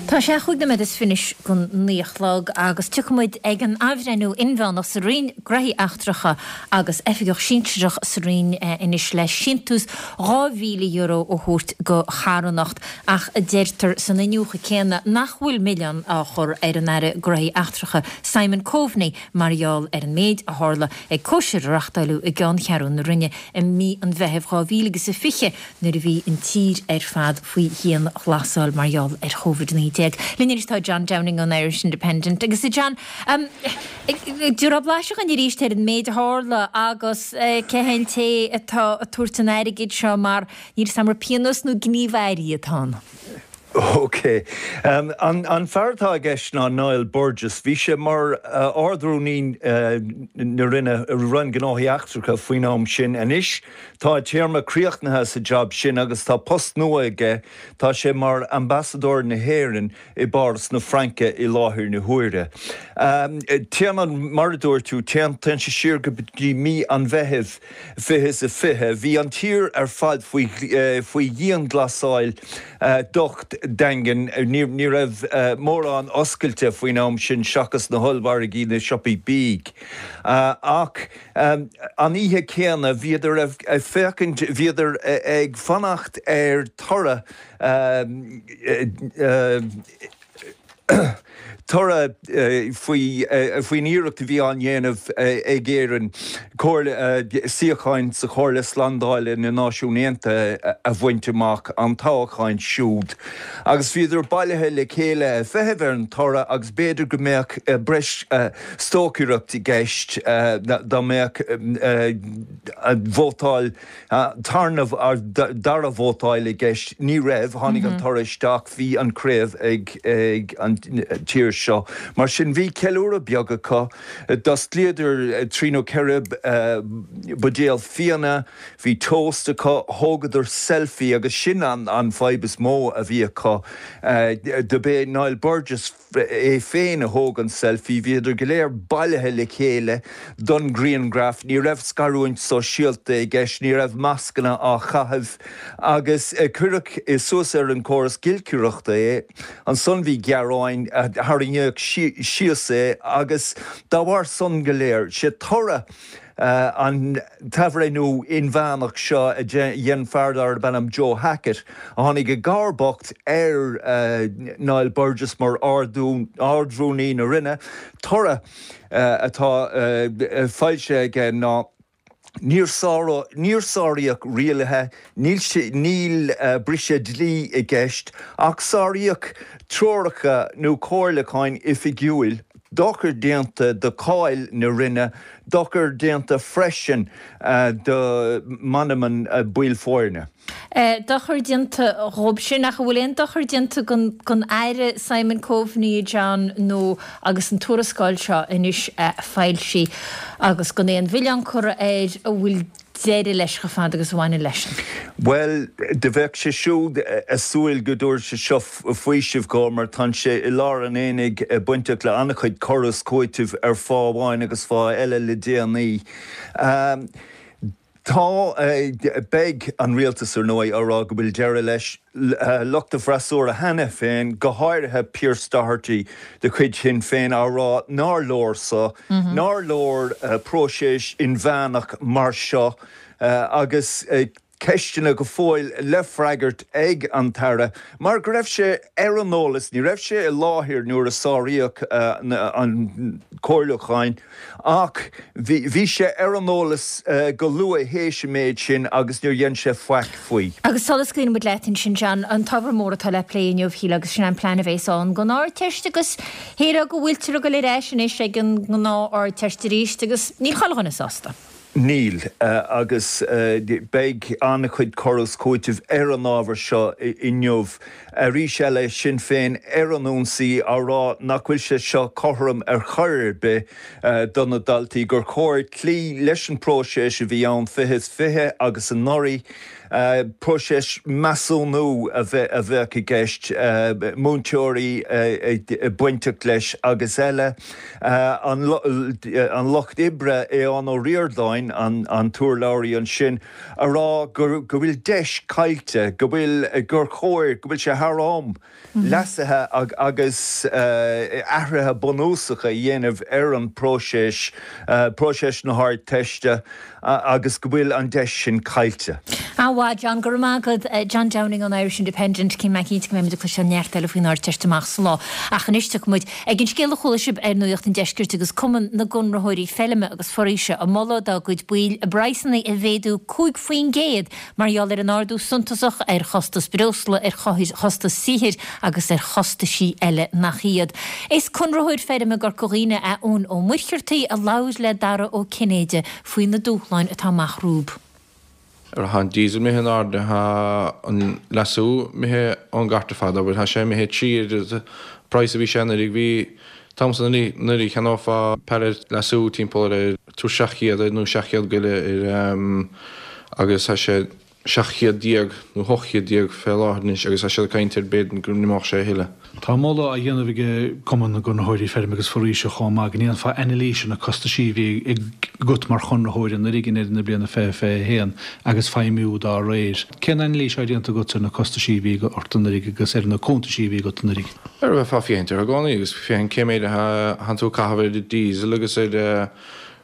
Tá sé chúig nóiméad is fiche don naoi a chlog agus tiocfaidh muid ag an athbhreithniú inmheánach sa Roinn Gnóthaí Eachtracha agus oifigeach sinsearach sa Roinn anois le síntiús €2,000 a thabhairt do charthanacht ach deirtear san iniúchadh céanna nach bhfuil milleán á chur ar an Aire Gnóthaí Eachtracha Simon Coveney mar gheall ar an méid a tharla ag cóisir a reachtáileadh i gceanncheathrú na Roinne i mí an Mheithimh 2020 nuair a bhí an tír ar fad faoi dhianghlasáil mar gheall ar Covid-19. Linn anois tá John Downing ón Irish Independent. Agus a John, tabhair blaiseadh dhúinn arís ar an méid a tharla agus cé hé an té atá ag tabhairt an airgid seo mar níl 'fhios a'm an pionós nó gníomh airí atá ann. Ok. An fear atá i gceist ná Niall Burgess. Bhí sé mar Ard-Rúnaí na Roinne, Roinn Gnóthaí Eachtracha faoin am sin. Anois tá a téarma críochnaithe sa jab sin agus tá post nua aige, tá sé mar Ambasadóir na hÉireann i bPáras na Fraince i láthair na huaire. Téann an, mar a dúirt tú, téann, téann sé siar go dtí mí an Mheithimh 2020. Bhí an tír ar fad faoi, faoi dhianghlasáil docht daingean. Ní raibh mórán oscailte faoin am sin seachas na hollmhargaí, na siopaí bídh. Ach an oíche chéanna bhíodar ag féachaint, bhíodar ag fanacht ar toradh, toradh faoin iarracht a bhí á ndéanamh ag Éirinn comhairle, suíocháin sa Chomhairle Slándála na Náisiún Aontaithe a bhaint amach, an toghchán siúd. Agus bhíodar bailithe le chéile ag feitheamh ar an toradh agus b'fhéidir go mbeadh breis stocaireacht i gceist dá mbeadh vótáil tarna, dara vótáil i gceist. Ní raibh. Tháinig an toradh isteach. Bhí an chraobh ag an tír seo. Mar sin bhí ceiliúradh beag acu. D'osclaíodar trí nó ceithre buidéal fíona. Bhí toast acu. Thógadar selfie agus sin an fadhb is mó a bhí acu. Do b'é Niall Burgess é féin a thóg an selfie, bhíodar go léir bailithe le chéile don ghrianghraf, ní raibh scarúint sóisialta i gceist, ní raibh mascanna á chaitheamh agus cuireadh suas ar an gcóras giolcaireachta é. Ansan bhí gearáin, tharraingíodh síos é agus dá bharr san go léir, sé toradh An t-athbhreithniú inmheánach seo a dhein fear darb ainm Joe Hackett, a tháinig i gcomharbacht ar Niall Burgess mar Ard-Rúnaí na Roinne, toradh atá foilsithe aige ná níor sáraíodh rialuithe, níl briseadh dlí i gceist ach sáraíodh treoracha nó comhairliúcháin oifigiúil, dochar déanta do cháil na Roinne, Dochar déanta freisin do mheanman baill foirne. Dochar déanta dhóibh sin, ach an bhfuil aon dochar déanta don Aire Simon Coveney, a John, nó agus an tuarascáil seo anois foilsithe agus gan aon mhilleán curtha air, an bhfuil deireadh leis chomh fada agus a bhaineann leisean? Bhuel, do bheadh sé siúd ag súil go dtabharfadh sé seo faoiseamh dhó mar tá sé i lár an aonaigh bainteach le an-chuid cur is cúitimh ar fáth amháin agus fáth eile le déanaí. Tá, beidh an rialtas ar ndóigh á rá go bhfuil deireadh leis. Lucht an fhreasúra cheana féin, go háirithe Pearse Doherty de chuid Shinn Féin, á rá nár leor so, nár leor próiseas inmheánach mar seo agus. ceisteanna go fóill le freagairt ag an tAire mar go raibh sé ar an eolas, ní raibh sé i láthair nuair a sáraíodh an comhairliúcháin ach bhí sé ar an eolas go luath théis an méid sin agus níor dhein sé faic faoi. Agus sula scaoileann muid leat ansin, John, an t-ábhar mór atá le plé inniu, shílfeá, agus sin an plean a bhéas ann don Ardteist agus shílfeá go bhfuiltear ag dul ar ais anois ag an ngnáth-Ardteist arís agus níl chuile dhuine sásta. Níl, agus beidh an-chuid cur is cúitimh ar an ábhar seo inniu. Arís eile, Sinn Féin ar an ionsaí, á rá nach bhfuil sé seo cothrom ar chor ar bith do na daltaí, gur chóir cloí leis an bpróiseas a bhí ann 2020 agus anuraidh. Próiseas measúnú a bheadh i gceist, múinteoirí bainteach leis agus eile. An Lucht Oibre, Aodhán Ó Ríordáin, an t-urlabhraí ansin, a rá go bhfuil deis caillte, go bhfuil, gur chóir, go bhfuil sé thar am leasuithe agus athruithe bunúsacha a dhéanamh ar an bpróiseas, próiseas na hArdteiste, agus go bhfuil an deis sin caillte. An-mhaith, John. Go raibh maith agat. John Downing ón Irish Independent. Cím mé cinnte go mbeimid ag cloisteáil neart eile faoin Ardteist amach sa lá. Ach anois tiocfaidh muid ag an scéal a chuala sibh ar Nuacht an Deiscirt agus Cumann na gConraitheoirí Feilme agus Foraoise ag moladh dá gcuid baill a bpraghsanna a mhéadú 5% Mar gheall ar an ardú suntasach ar chostas breosla, ar chostas saothair agus ar chostaisí eile nach iad. Is conraitheoir feirme i gCorca Dhuibhne é Eoin Ó Muircheartaigh a labhair le Dara Ó Cinnéide faoi na dúshláin atá amach rompu. Tá an diesel imithe in airde, tá an leasú imithe ón gcairt ar fad, abair, tá sé imithe 3 oiread an praghas a bhí sé anuraidh. Bhí t-am san anuraidh cheannófá pallet leasú timpeall ar tú 700 air nó 700 go leith air agus tá sé 1700 nó 1800 fé láthair anois agus tá siad ag caint ar b'fhéidir go n-imeodh sé a thuilleadh. Tá moladh á dhéanamh ag Cumann na gConraitheoirí Feirme agus Foraoise chomh maith go ndéanfá anailís ar na costaisí a bhí agat mar chonraitheoir anuraidh i ndeireadh na bliana 2021 agus feidhmiú dá réir. Cén anailís atá déanta agat ar na costaisí a bhí ort anuraidh agus ar na cuntaisí a bhí agat anuraidh? Ar bheifeá ag féachaint orthu i gcónaí agus féachaint cé méid a thánn tú ag caitheamh ar diesel agus ar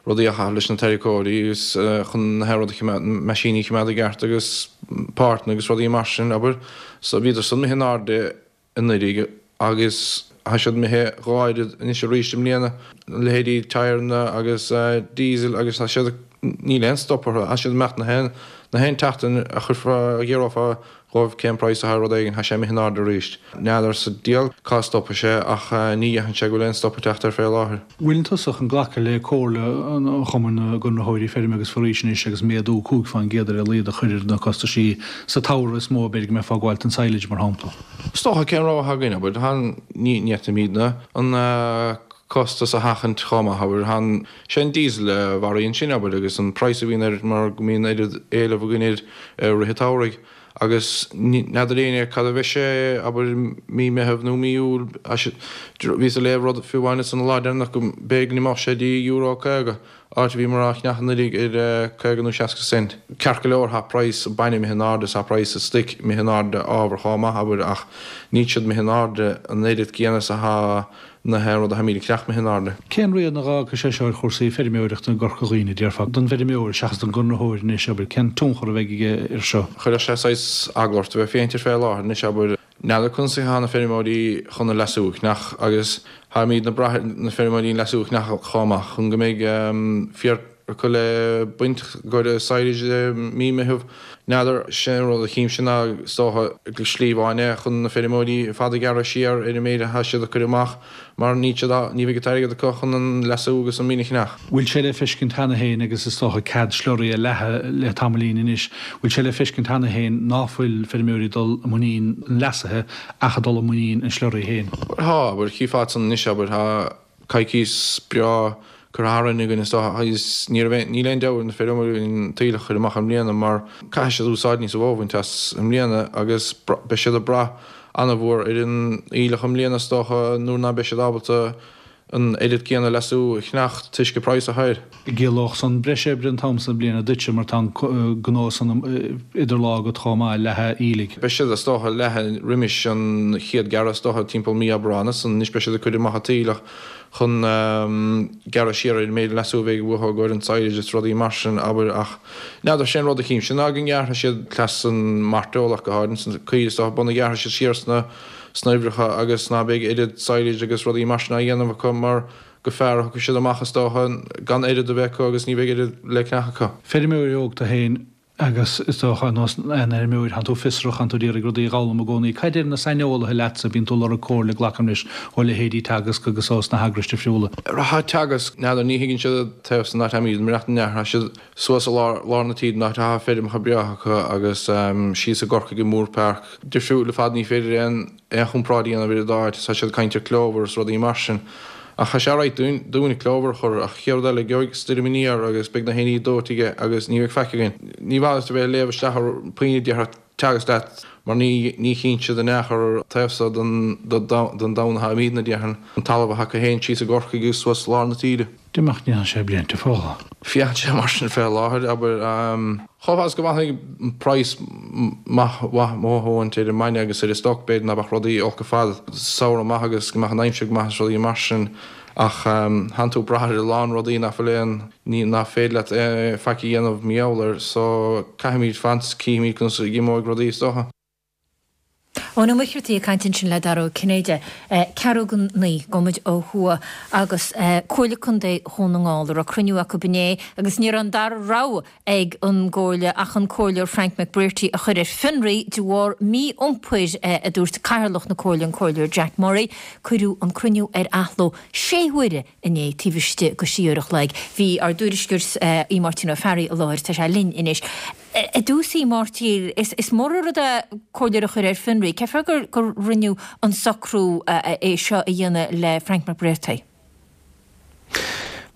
rudaí a chaitheamh leis na tarracóirí agus chun na rud a choimeád, meaisíní a choimeád i gceart agus páirteanna agus rudaí mar sin, abair. So bhíodar san imithe in airde anuraidh agus tá siad imithe dhá oiread anois arís i mbliana, leithéidí tyreanna agus diesel agus tá siad, níl aon stop orthu, tá siad ag imeacht na haon, na haon tseachtain a chuirfeá, a ghiorrófá dhóibh cén praghas atá ar rud éigin, tá sé imithe in airde arís. N'fheadar sa diabhal cá stopfaidh sé ach ní dhéarfainn sé go bhfuil aon stop ag teacht air fé láthair. Bhfuileann tusa chun glacadh le comhairle an Chumainn na gConraitheoirí Feirme agus Foraoise anois agus méadú 5% ar a laghad a chur ar na costaisí sa tsamhradh is mó b'fhéidir go mbeifeá ag gabháil don silage mar shampla? Is dócha cén rogha atá againn, abair, tá an, ní fhéadfaimidne an costas a sheachaint chomh maith, abair, tá an, sé an diesel a mharaíonn sinn, abair, agus an praghas a bhíonn air mar go mbíonn oiread éileamh againn air i rith an tsamhraidh agus n'fheadar éinne cad a bheidh sé, abair, mí Meitheamh nó mí Iúil. Bhíos ag léamh rud fiú amháin ansan an lá deireanach go mb'fhéidir go n-imeodh sé dtí euro 50, áit a bhíomar á cheannach anuraidh ar 50 nó 60 cent. Ceart go leor, tá praghas an bainne imithe in airde is tá praghas an stoic imithe in airde ábhar chomh maith, abair, ach níl siad imithe in airde an oiread céanna is atá na haon rud a tháimid ag ceannach imithe in airde. Cén rian a dh'fhágfaidh sé seo ar chúrsaí feirmeoireachta i gCorca Dhuibhne, déarfá, don bhfeirmeoir seachas don gconraitheoir anois, abair, cén tionchar a bheidh aige air seo? Chuirfeadh sé saghas eagla ort a bheith féachaint air fé láthair anois, abair, n'fheadar conas atá na feirmeoirí chun an leasú a cheannach agus táimidne ag brath ar na feirmeoirí an leasú a cheannach chomh maith chun go mbeidh féar acu le baint i gcomhair silage i mí Meitheamh. N'fheadar, sé an rud a chímse ná is dócha gur slí amháin é chun na feirmeoirí ar fad a ghearradh siar ar an méid atá siad ag cur amach mar níl siad á, ní bheidh an t-airgead acu chun an leasú agus an mhin a cheannach. Bhfuil sé le feiscint cheana féin agus is dócha cead slurry a leathadh le tamaillín anois, bhfuil sé le feiscint cheana féin ná fuil feirmeoirí ag dul i muinín an leasaithe ach ag dul i muinín an slurry féin? Tá, abair, chífeá san anois, abair, tá. coicís breá curtha tharainn againn is dócha agus ní raibh aon, níl aon deabhadh ar na feirmeoirí an t-aoileach a chur amach i mbliana mar caithfidh siad úsáid níos mó a bhaint as i mbliana agus beidh siad ag brath ana-mhór ar an aoileach i mbliana is dócha nuair ná beidh siad ábalta. an oiread céanna leasú a cheannacht toisc an praghas atá air. Ciallódh san breis oibre an t-am san bliana duitse mar tá an gnó san idir lámha agat chomh maith, leathadh aoiligh. Beidh siad is dócha leatha roimis an chéad gearradh is dócha timpeall mí Aibreáin is anois beidh siad ag cur amach an t-aoileach chun gearradh siar ar an méid leasú a bheidh uathu i gcomhair an silage is rudaí mar sin abair ach n'fheadar sé an rud a chímse ná go ngearrfaidh siad cleas an mairteoil ach go háirid san caoirigh is dócha b'ionann ghearrfaidh siad siar sna sna huimhreacha agus ná beidh oiread silage agus rudaí mar sin á dhéanamh acu mar gur fearr a thiocfaidh siad amach is dócha gan oiread a bheith acu agus ní bheidh oiread le ceannach acu. Feirmeoir óg tú féin agus is dócha, ar nós aon fheirmeoir, tánn tú fiosrach, tánn tú ag iarraidh rudaí a dh'fhoghlaim i gcónaí. Cad a deir na saineolaithe leatsa? Bíonn tú ag lorg comhairle, glacaim leis, ó leithéidí Teagasc agus ós na heagrais difriúla. Tá Teagasc, n'fheadar, ní thuigeann siad taobh san áit aimíd, mar nach ndearna siad suas i lár, lár na tíre, an áit atá feirmeacha breátha acu agus síos i gCorcaigh i Moorepark. Difriúil ar fad, ní féidir aon, aon chomparáid a dhéanamh idir an dá áit, tá siad ag caint ar clover is rudaí mar sin. Ach tá sé alright dúinn, dúinn clover a chur, ach chéad rud eile, gheobhaidh stoirm aniar agus beidh na héiní dóite aige agus ní bheidh faic againn. Ní mhaith leat a bheith ag léamh isteach ar puinn a déarfadh Teagasc leat mar ní, ní chíonn siad in aon chor taobh so den, den domhan atá imídne, déarfainn, an talamh atá acu féin síos i gCorcaigh agus suas lár na tíre. D'imeacht ndéanann sé blianta fola. Féachann sé mar sin fé láthair, abair. Chomh fada is go bhfanfaidh an praghas maith mhaith ar an mbainne agus ar an stoc, b'fhéidir ná beadh rudaí olc ar fad. Samhradh maith agus go mbeadh an aimsir go maith is rudaí mar sin ach thánn tú ag brath ar a lán rudaí nach bhfuil aon ní nach féidir leat faic a dhéanamh mar gheall air so caithfimid fanacht 's cífimid conas a imeoidh rudaí is dócha. Eoin Ó Muircheartaigh ag caint ansin le Dara Ó Cinnéide. Ceathrú go 9, gabhfaidh muid ó thuaidh agus Comhairle Contae Dhún na nGall, a raibh cruinniú acu inné agus ní raibh an dara rogha ag an gComhairle ach an Comhairleoir Frank McBrearty a chur ar fionraí de bharr mí-iompair, a dúirt Cathaoirleach na Comhairle, an Comhairleoir Jack Murray. Cuireadh an cruinniú ar athló sé huaire inné taobh istigh de thrí uair a chloig. Bhí ár dtuairisceoir Aodh Máirtín Ó Fearraigh i láthair, tá sé linn anois. I dtús, a Mháirtín, is mór an rud é comhairleoir a chur ar fionraí. Cén fáth gur gur rinneadh an socrú é seo a dhéanamh le Frank McBrearty?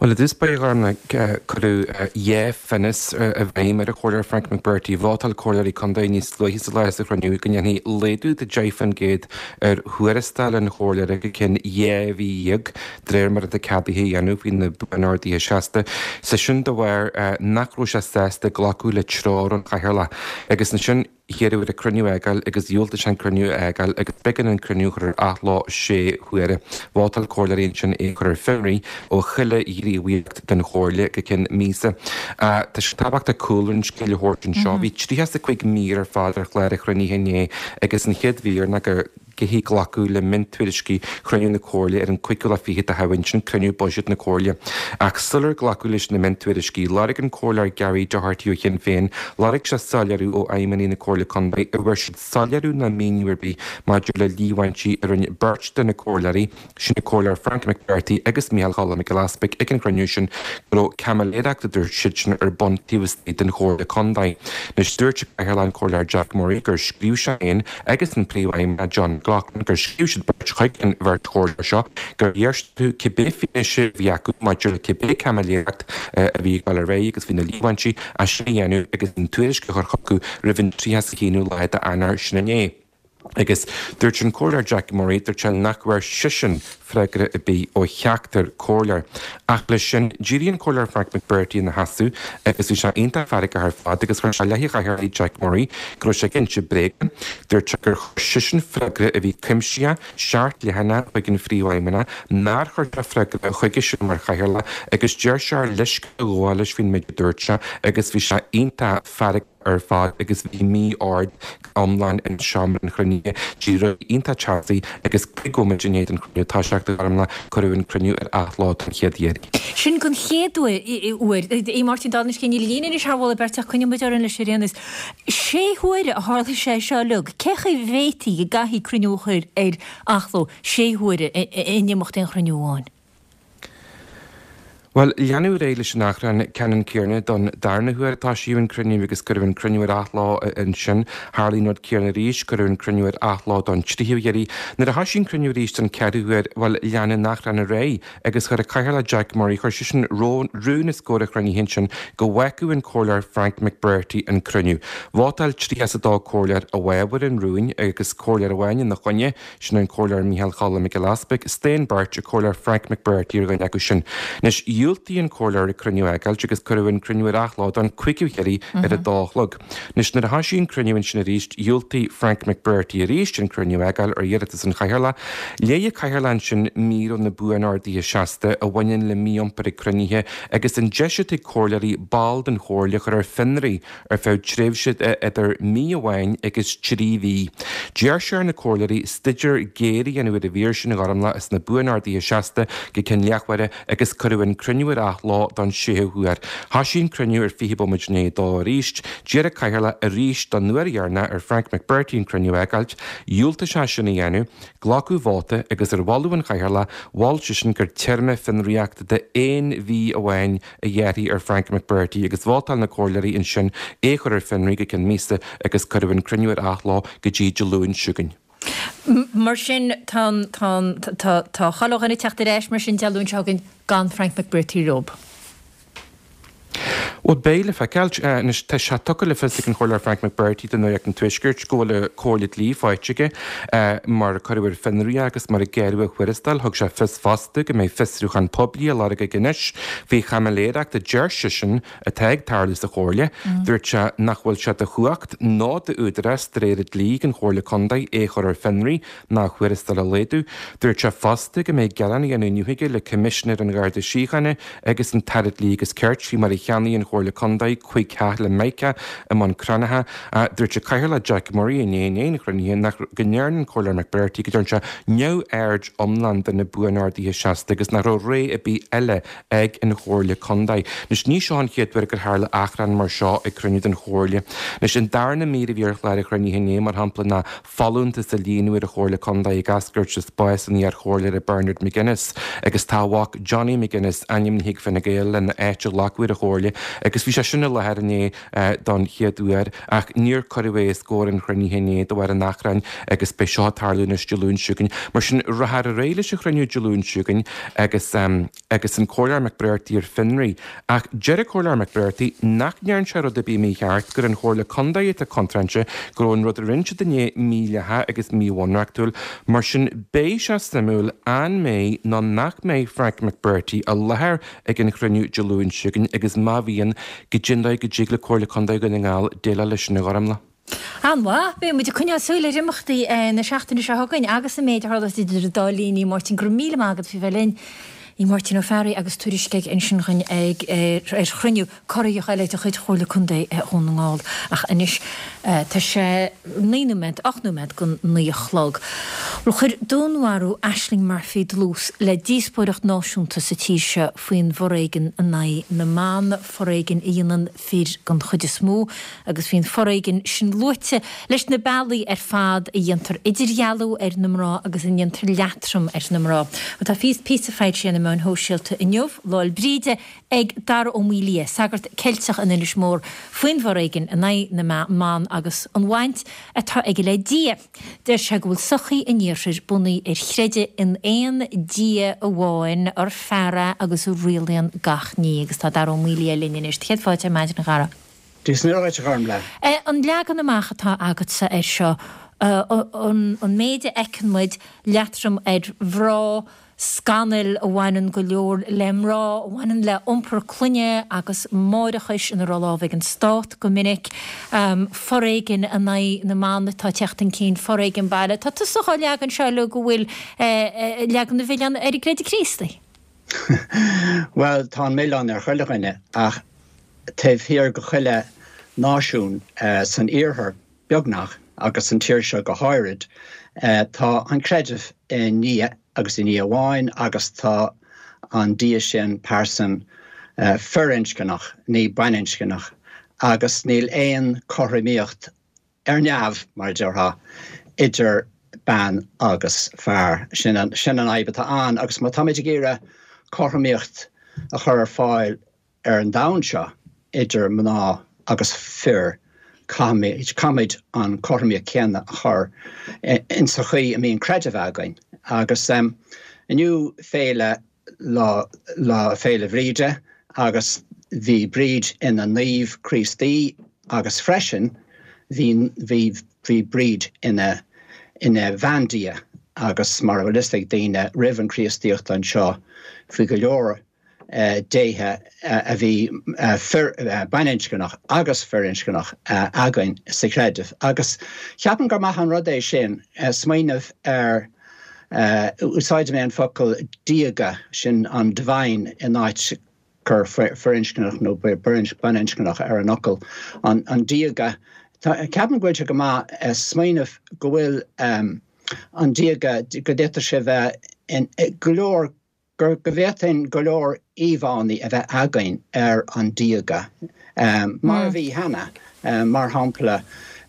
Bhuel, i dtús báire, a Ghormfhlaith, cuireadh dhá phionós i bhfeidhm ar an Chomhairleoir Frank McBrearty. Vótáil comhairleoirí contae níos luaithe sa lá sa chruinniú go ndéanfaí laghdú de 10% ar thuarastal an chomhairleora go ceann 12 mhí. de réir mar atá ceadaithe a dhéanamh faoi na Buan-Orduithe Seasta, sé sin de bharr nach raibh sé sásta glacadh le treoir ón Chathaoirleach. Agus ansin hiarradh air an cruinniú a fhágáil agus dhiúltaigh sé an cruinniú a fhágáil agus b'éigean an cruinniú a chur ar athló sé huaire. Vótáil comhairleoirí ansin é a chur ar fionraí ó chuile ghníomhaíocht den chomhairle go ceann míosa. Tá sé tábhachtach cúlra an scéil a thabhairt anseo. Bhí 35 mír ar fad ar chlár an chruinnithe inné agus an chéad mhír ná go gcaithfí glacadh le miontuairiscí chruinniú na Comhairle ar an cúigiú lá fichead de Shamhain, sin cruinniú buiséid na Comhairle. Ach sular glacadh leis na miontuairiscí, lorg an Comhairleoir Gary Doherty ó Shinn Féin, lorg sé soiléiriú ó fheidhmeannaigh na Comhairle Contae an bhfuair siad soiléiriú ná míniú ar bith maidir le líomhaintí a rinne beirt de na Comhairleoirí, Sin an Comhairleoir Frank McBrearty agus Micheál Choilm Mac Giolla Easpaig ag an chruinniú sin go raibh caimiléireacht, a dúirt siadsan, ar bun taobh istigh den Chomhairle Contae. Anois dúirt an Cathaoirleach an Comhairleoir Jack Murray gur scríobh sé féin agus an Príomhfheidhmeannach John McLaughlin gur scríobh siad beirt chuig an bheirt chomhairleoir seo gur iarr siad orthu cibé fianaise a bhí acu maidir le cibé caimiléireacht a bhí ag dul ar aghaidh agus faoi na líomhaintí é sin a dhéanamh agus an tuairisc a chur chucu roimh an 31ú lá d'Eanáir sin inné. Agus dúirt an Comhairleoir Jack Murray, dúirt sé nach bhfuair seisean freagra ar bith ó cheachtar comhairleoir. Ach leis sin, d'éirigh an Comhairleoir Frank McBrearty ina sheasamh agus bhí sé iontach feargach ar fad agus chuir sé i leith an chathaoirligh Jack Murray go raibh sé ag inse bréaga. Dúirt sé gur chuir seisean freagra a bhí cuimsitheach, seacht leathanach chuig an Phríomhfheidhmeannach, nár chuir sé freagra chuige sin mar chathaoirleach agus deir sé ar leithscéal a ghabháil leis faoin méid a dúirt sé agus bhí sé iontach feargach. ar fad agus bhí mí-ord iomlán in seomra an chruinnithe. D'éirigh rudaí iontach teasaí agus cúig bhomaite i ndiaidh don chruinniú toiseacht, a Ghormfhlaith, cuireadh an cruinniú ar athló don chéad iarraidh. Sin don chéad uair. A Mháirtín, dála an scéil, níl líne anois thar mholadh beirte ach coinneoidh muid orainn leis ar aon nós. Sé huaire a tharla sé seo uilig. Cé chaoi a bhféadfaí go gcaithfí cruinniú a chur ar athló sé huaire in imeacht aon chruinniú amháin? Bhuel, leanadh ar aghaidh leis an achrann ceannann céanna don darna huair a toisíodh an cruinniú agus cuireadh an cruinniú ar athló ansin. Tharlaigh an rud céanna arís, cuireadh an cruinniú ar athló don tríú hiarraidh. Nuair a thoisigh an cruinniú arís don ceathrú huair, bhuel, lean an achrann ar aghaidh agus chuir an Cathaoirleach Jack Murray, chuir seisean rún os comhair an chruinnithe ansin go bhfágfadh an Comhairleoir Frank McBrearty an cruinniú. Vótáil 32 comhairleoir i bhfabhar an rúin agus comhairleoir amháin ina choinne. Sin an Comhairleoir Micheál Choilm Mac Giolla Easpaig. Staon beirt, an Comhairleoir Frank McBrearty ar dhuine acu sin. Anois, dhiúltaigh an Comhairleoir an cruinniú a fhágáilt agus cuireadh an cruinniú ar athló don chúigiú hiarraidh ar a dó a chlog. Anois, nuair a thoisigh an cruinniú ansin arís, dhiúltaigh Frank McBrearty arís an cruinniú a fhágáil ar iarratas an Chathaoirleach. Léigh an Cathaoirleach ansin mír ó na Buan-Orduithe Seasta a bhaineann le mí-iompar ag cruinnithe agus an deis atá ag comhairleoirí ball den chomhairle a chur ar fionraí ar feadh tréimhse idir mí amháin agus 3 mhí. D'iarr sé ar na comhairleoirí staidéar géar a dhéanamh ar an mhír sin a Ghormfhlaith as na Buan-Orduithe Seasta go ceann leathuaire agus cuireadh an cruinniú ar athló don séú huair. Thoisigh an cruinniú ar 20 bomaite i ndiaidh a dó arís. D'iarr an Cathaoirleach arís don uair dheireanach ar Frank McBrearty an cruinniú a fhágáilt. Dhiúltaigh sé sin a dhéanamh. Glacadh vóta agus ar mholadh an Chathaoirleach, mhol seisean gur téarma fionraíochta de aon mhí amháin a ghearrfaí ar Frank McBrearty agus vótáil na comhairleoirí ansin é a chur ar fionraí go ceann míosa agus cuireadh an cruinniú ar athló go dtí Dé Luain seo chugainn. Mar sin, tá an, tá an, tá, tá chuile dhuine ag teacht ar ais mar sin Dé Luain seo chugainn gan Frank McBrearty leo. Bhuel, beidh le feiceáil. Anois, tá sé tugtha le fios ag an Chomhairleoir Frank McBrearty do Nuacht an Tuaiscirt go bhfuil comhairle dlí faighte aige mar a cuireadh ar fionraí é agus mar a gearradh a thuarastal. Thug sé fios fosta go mbeidh fiosrúchán poiblí á lorg aige anois faoi chaimiléireacht a deir seisean atá ag tarlú sa Chomhairle. Dúirt sé nach bhfuil sé de chumhacht ná d'údarás de réir an dlí ag an Chomhairle Contae é a chur ar fionraí ná a thuarastal a laghdú. Dúirt sé fosta go mbeidh gearán á dhéanamh inniu aige le Coimisinéir an Gharda Síochána agus an tAire Dlí agus Cirt faoi mar a cheannaigh an Chomhairle Contae 5 theach le Mica i mBun Cranncha. Dúirt an Cathaoirleach Jack Murray inné i ndiaidh an chruinnithe nach go ndearna an Comhairleoir McBrearty go dtearn sé neamhaird iomlán de na Buan-Orduithe Seasta agus nach raibh rogha ar bith eile ag an Chomhairle Contae. Anois ní seo an chéad uair gur tharla achrann mar seo ag cruinniú den Chomhairle. Anois an darna mír a bhí ar chlár an chruinnithe inné mar shampla ná folúntas a líonadh ar an Chomhairle Contae ag eascairt as bás an iar-chomhairleora Bernard McGuinness agus tá a mhac Johnny McGuinness ainmnithe ag Fine Gael lena áit a ghlacadh ar an Chomhairle agus bhí sé sin i láthair inné don chéad uair ach níor cuireadh é os comhair an chruinnithe inné de bharr an achrainn agus beidh seo ag tarlú anois Dé Luain seo chugainn. Mar sin, rachfar ar aghaidh leis an chruinniú Dé Luain seo chugainn agus. agus an Comhairleoir McBrearty ar fionraí. Ach deir an Comhairleoir McBrearty nach ndearn sé rud ar bith mícheart, gur an Chomhairle Contae atá contráilte, go raibh an rud a rinne siad inné mídhleathach agus míbhunreachtúil. Mar sin beidh sé suimiúil an mbeidh nó nach mbeidh Frank McBrearty i láthair ag an chruinniú Dé Luain seo chugainn agus má bhíonn, goidé an dóigh go dtig le Comhairle Contae Dhún na nGall déileáil leis sin a Ghormfhlaith. An-mhaith. Beidh muid ag coinneáil súil ar imeachtaí na seachtaine seo chugainn agus an méid a tharlós idir an dá linn. A Mháirtín, go raibh míle maith agat faoi bheith linn. Í Máirtín Ó Fearraigh agus tuairisc aige ansin dhúinn ag ar chruinniú corraitheach eile de chuid Chomhairle Contae Dhún na nGall. Ach anois tá sé 9 nóiméad, 8 nóiméad don 9 a chlog. Bhuel, chuir dúnmharú Ashling Murphy dlús le díospóireacht náisiúnta sa tír seo faoin bhforéigean in aghaidh na mban, foréigean a dhéanann fir den chuid is mó, agus bhí an foréigean sin luaite leis na bealaí ar fad a dhéantar idirdhealú ar na mná agus a ndéantar leatrom ar na mná. Tá píosa foilsithe ar na meáin shóisialta inniu, Lá 'le Bríde, ag Dara Ó Maolaodha, sagart Ceilteach in Inis Mór, faoin bhforéigean in aghaidh na mban agus an bhaint atá aige le Dia. Deir sé go bhfuil sochaí an Iarthair bunaithe ar chreideamh in aon Dia amháin, ar fear é agus a rialaíonn gach ní. Agus tá Dara Ó Maolaodha linn anois. Céad fáilte ar maidin, a Dhara. Dia is Muire dhuit, a Ghormfhlaith. An leagan amach atá agatsa air seo, an méid a fheiceann muid, leatrom ar mhná, scannail a bhaineann go leor le mná, a bhaineann le iompar clainne agus máithreachais ina raibh lámh ag an stát go minic, foréigean in aghaidh na mban atá ag teacht chun cinn, foréigean baile. Tá tusa dhá leagan seo uilig go bhfuil leagan an mhilleáin ar an gcreideamh Críostaí. Bhuel, tá an milleán ar chuile dhuine, ach taobh thiar de chuile náisiún san iarthar, beagnach, agus san tír seo go háirid, tá an creideamh i nDia agus i nDia amháin agus tá an Dia sin pearsan firinscneach, ní baininscneach, agus níl aon cothromaíocht ar neamh, mar a déarfá, idir bean agus fear. Sin an fhadhb atá ann agus má táimid ag iarraidh cothromaíocht. a chur ar fáil ar an domhan seo idir mná agus fir, caithfimid, caithfimid an cothromaíocht chéanna a chur insa chaoi a mbíonn creideamh againn. Agus inniu féile Lá, Lá Féile Bhríde agus bhí Bríd ina naomh Críostaí agus freisin bhí, bhí, bhí Bríd ina, ina bhandia agus mar a bhfuil fhios ag daoine roimh an Chríostaíocht anseo bhí go leor déithe a bhí fir, baininscneach agus firinscneach againn sa chreideamh agus ceapaim gur maith an rud é sin smaoineamh ar Úsáidim mé an focal diaga, sin an divine in áit cur firinscneach nó baininscneach ar an fhocal, an diaga. Ceapaim go bhfuil sé go maith smaoineamh go bhfuil an diaga, go bhféadfadh sé bheith in go leor go bhféadfainn go leor íomhánna a bheith againn ar an diaga, mar a bhí cheana. Mar shampla,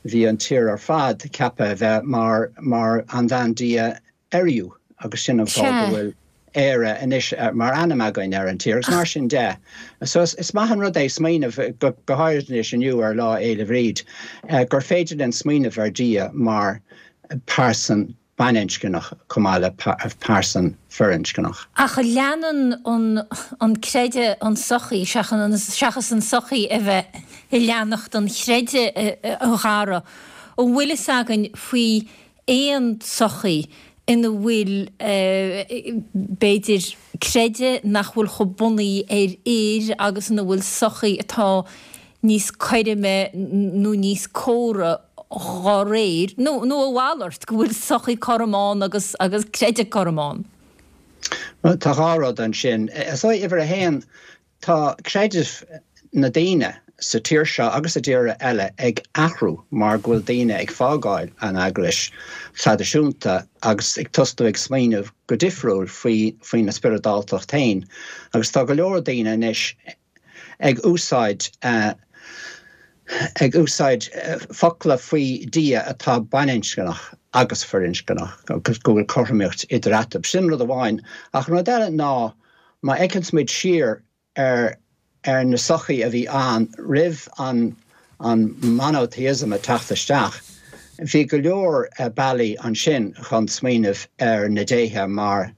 bhí an tír ar fad ceaptha a bheith mar mar an bhandia Ériu, agus sin an fáth go bhfuil Éire anois mar ainm againn ar an tír, agus mar sin de. So is maith an rud é smaoineamh, go háirid anois inniu ar Lá Fhéile Bhríd, gur féidir linn smaoineamh ar Dhia mar pearsan baininscneach chomh maith le pearsan firinscneach. Ach leanann an creideamh an tsochaí, seachas an tsochaí a bheith ag leanacht an chreidimh, a Dhara. An bhfuil fhios againn faoi aon tsochaí ina bhfuil, b'fhéidir, creideamh nach bhfuil chomh bunaithe ar fhir agus ina bhfuil sochaí atá níos cothroime nó níos córa dhá réir, nó nó a mhalairt, go bhfuil sochaí cothrom ann agus agus creideamh cothrom ann? Bhuel, tá dhá rud ansin. Is dóigh, uimhir a haon, tá creideamh na daoine sa tír seo agus i dtíortha eile ag athrú mar go bhfuil daoine ag fágáil an eaglais traidisiúnta agus ag tosnú ag smaoineamh go difriúil faoi faoina spioradáltacht féin. Agus tá go leor daoine anois ag úsáid ag úsáid focla faoi Dhia atá baininscneach agus firinscneach agus go bhfuil cothromaíocht idir eatarthu. Sin rud amháin. Ach an rud eile ná má fheiceanns muid siar ar ar na sochaí a bhí ann roimh an an monotheism a teacht isteach, bhí go leor bealaí ansin chun smaoineamh ar na déithe mar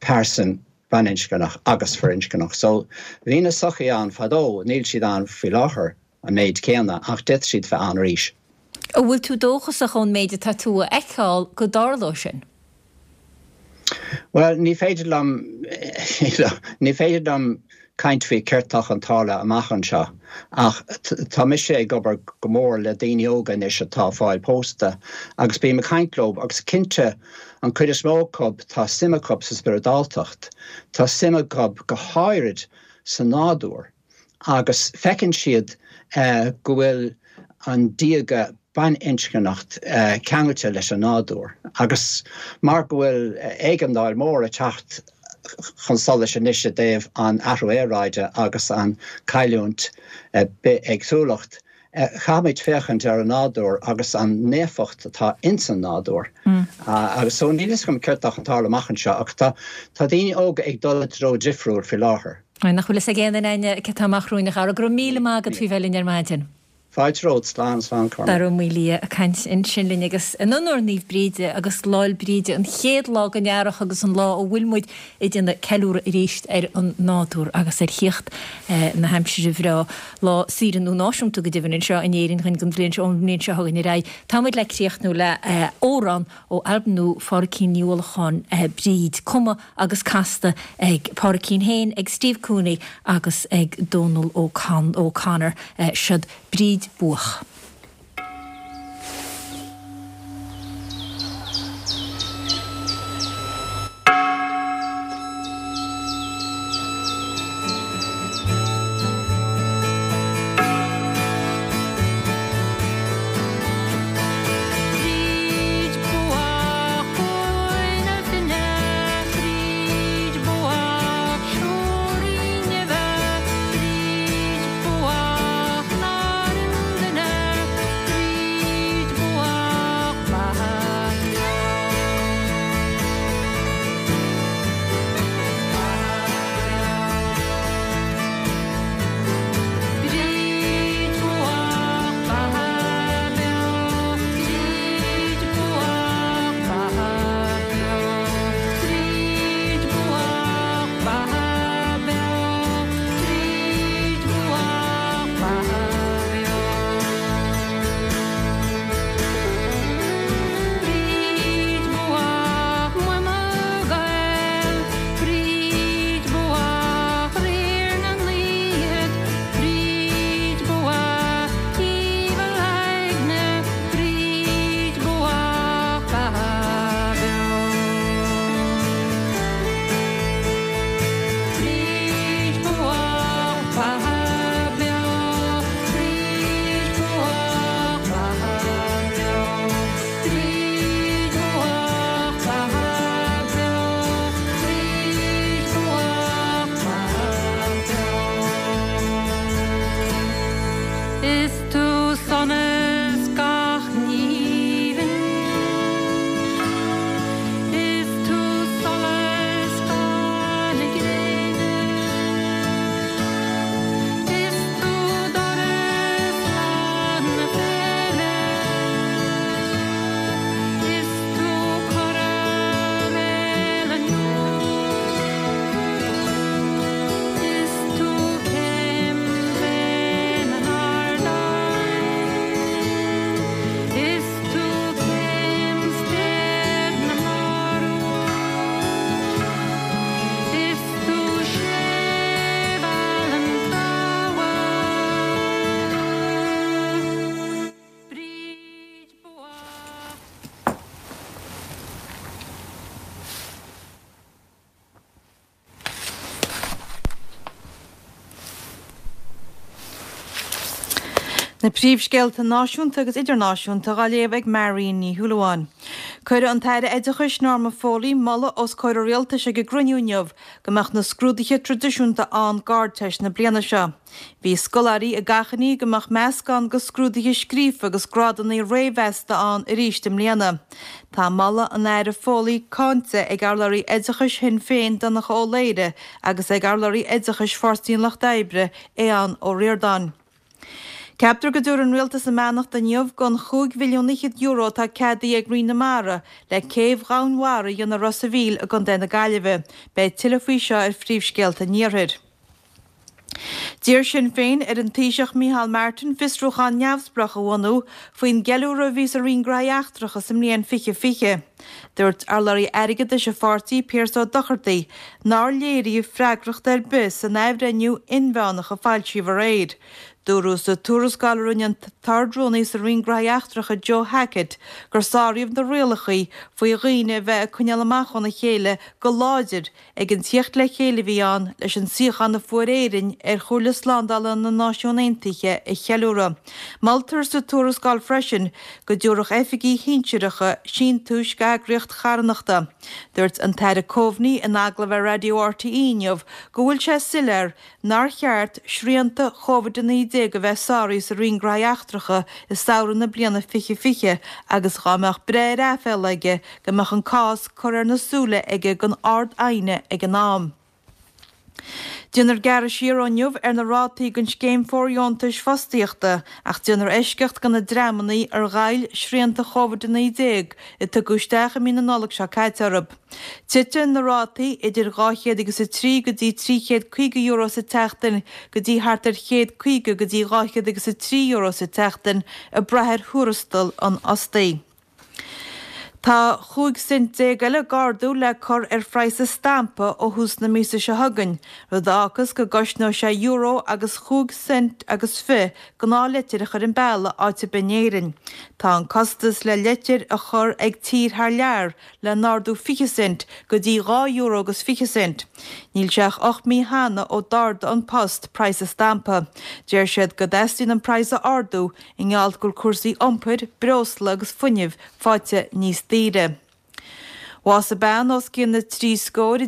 pearsan baininscneach agus firinscneach. So, bhí na sochaí ann fadó, níl siad ann faoi láthair an méid céanna, ach d'fhéadfadh siad bheith ann arís. An bhfuil tú dóchasach ón méid atá tú a fheiceáil go dtarlóidh sin? Bhuel, ní féidir liom, ní féidir liom caint faoi céard tá chun tarlú amach anseo, ach tá mise ag obair go mór le daoine óga anois atá ag fáil pósta agus bím ag caint leo agus cinnte an cuid is mó acu tá suim acu sa spioradáltacht, tá suim acu go háirid sa nádúr agus feiceann siad go bhfuil an diaga baininscneacht ceangailte leis an nádúr agus mar go bhfuil éigeandáil mór ag teacht chun solais anois i dtaobh an athrú aeráide agus an cailliúint bithéagsúlacht, caithfimid féachaint ar an nádúr agus an naofacht atá ins an nádúr. Agus so níl fhios agam céard tá chun tarlú amach anseo ach tá tá daoine óga ag dul i dtreo difriúil faoi láthair. Nach bhfuil fhios ag aon duine againne céard tá amach romhainn a Dhara. Go raibh míle maith agat faoi bheith linn ar maidin. Fáilte romhat, slán, slán Cormac. Dara Ó Maolaodha ag caint ansin linn agus in onóir Naomh Bríde agus Lá'l Bríde, an chéad lá den earrach agus an lá a bhfuil muid ag déanamh ceiliúradh arís ar an nádúr agus ar thíocht na haimsire bhreá. Lá saoire nua náisiúnta go deimhin anseo in Éirinn don bhliain seo, ón mbliain seo chugainn ar aghaidh. Tá muid le críochnú le amhrán ó albam nua Phádraicín Ní Uallacháin, Bríd, cumtha agus casta ag Pádraicín féin, ag Steve Cooney agus ag Dónal O'Connor. Siod Bríd Buach. Bríd buach uaine finne, Bríd buach siúirín neimhe, Bríd buach nár fhill duine. Na príomhscéalta náisiúnta agus idirnáisiúnta á léamh ag Marion Ní Shúilleabháin. Cuireadh an tAire Oideachais Norma Foley moladh os comhair an Rialtais ag an gcruinniú inniu go mbeadh na scrúduithe traidisiúnta ann d'Ardteist na bliana seo. Bhí scoláirí ag achainí go mbeadh meascán de scrúduithe scríofa agus grádanna réamh-mheasta ann arís i mbliana. Tá moladh an Aire Foley cáinte ag urlabhraí oideachais Shinn Féin Donncha Ó Laoghaire agus ag urlabhraí oideachais Pháirtí an Lucht Oibre Aodhán Ó Ríordáin. Ceaptar go dtabharfaidh an Rialtas a mbeannacht inniu don €25 mhilliún atá ceadaithe ag Roinn na Mara le céibh dhomhainmhara a dhéanamh i Ros a' Mhíl i gContae na Gaillimhe. Beidh tuilleadh faoi seo ar Phríomhscéalta an Iarthair. D'iarr Sinn Féin ar an Taoiseach Micheál Martin fiosrúchán neamhspleách a bhunú faoin gceiliúradh a bhí sa Roinn Gnóthaí Eachtracha sa mbliain 2020. Dúirt urlabhraí airgeadais an pháirtí, Pearse Ó Dochartaigh, nár léiríodh freagracht ar bith san athbhreithniú inmheánach a foilsíodh aréir. Dúradh sa tuarascáil a rinne an tArd-Rúnaí sa Roinn Gnóthaí Eachtracha Joe Hackett gur sáraíodh na rialacha faoi dhaoine a bheith ag coinneáil amach óna chéile go láidir ag an tíocht le chéile a bhí ann leis an suíochán a fuair Éirinn ar Chomhairle Slándála na Náisiún Aontaithe a cheiliúradh. Moltar sa tuarascáil freisin go dtabharfadh oifigigh shinsearacha síntiúis d'eagraíocht charthanachta. Dúirt an tAire Coveney in agallamh ar Raidió RTÉ inniu go bhfuil sé soiléir nár cheart srianta Covid-19 a bheith sáraithe sa Roinn Gnóthaí Eachtracha i samhradh na bliana 2020 agus dhá mbeadh breith ar aiféala aige go mbeadh an cás curtha ar na súile aige don Ard-Aighne ag an am. Déanfar gearradh siar ó inniu ar na rátaí don scéim fóirdheontais fostaíochta ach déanfar eisceacht do na dreamanna ar ghoill srianta Covid-19 a tugadh isteach i mí na Nollag seo caite orthu. Titfidh na rátaí idir 200 agus 3 go dtí €350 sa tseachtain go dtí thart ar €150 go dtí 200 agus €3 sa tseachtain ag brath ar thuarastal an fhostaí. Tá 15 cent eile d'ardú le cur ar phraghas an stampa ó thús na míosa seo chugainn, rud a fhágfas go gcosnóidh sé euro agus chúig cent agus fi gnáthleitir a chur an bealach áit ar bith in Éirinn. Tá an costas le leitir a chur ag tír thar lear le n-ardú 20 cent go dtí €2 agus 20 cent. Níl sé ach 8 mí cheana ó d'ardaigh An Post praghas an stampa. Deir siad go dteastaíonn an praghas a ardú i ngeall go bhfuil cúrsaí iompair, breosla agus fuinnimh faighte níos daoire. Bhásaigh bean os cionn na dtrí scór i.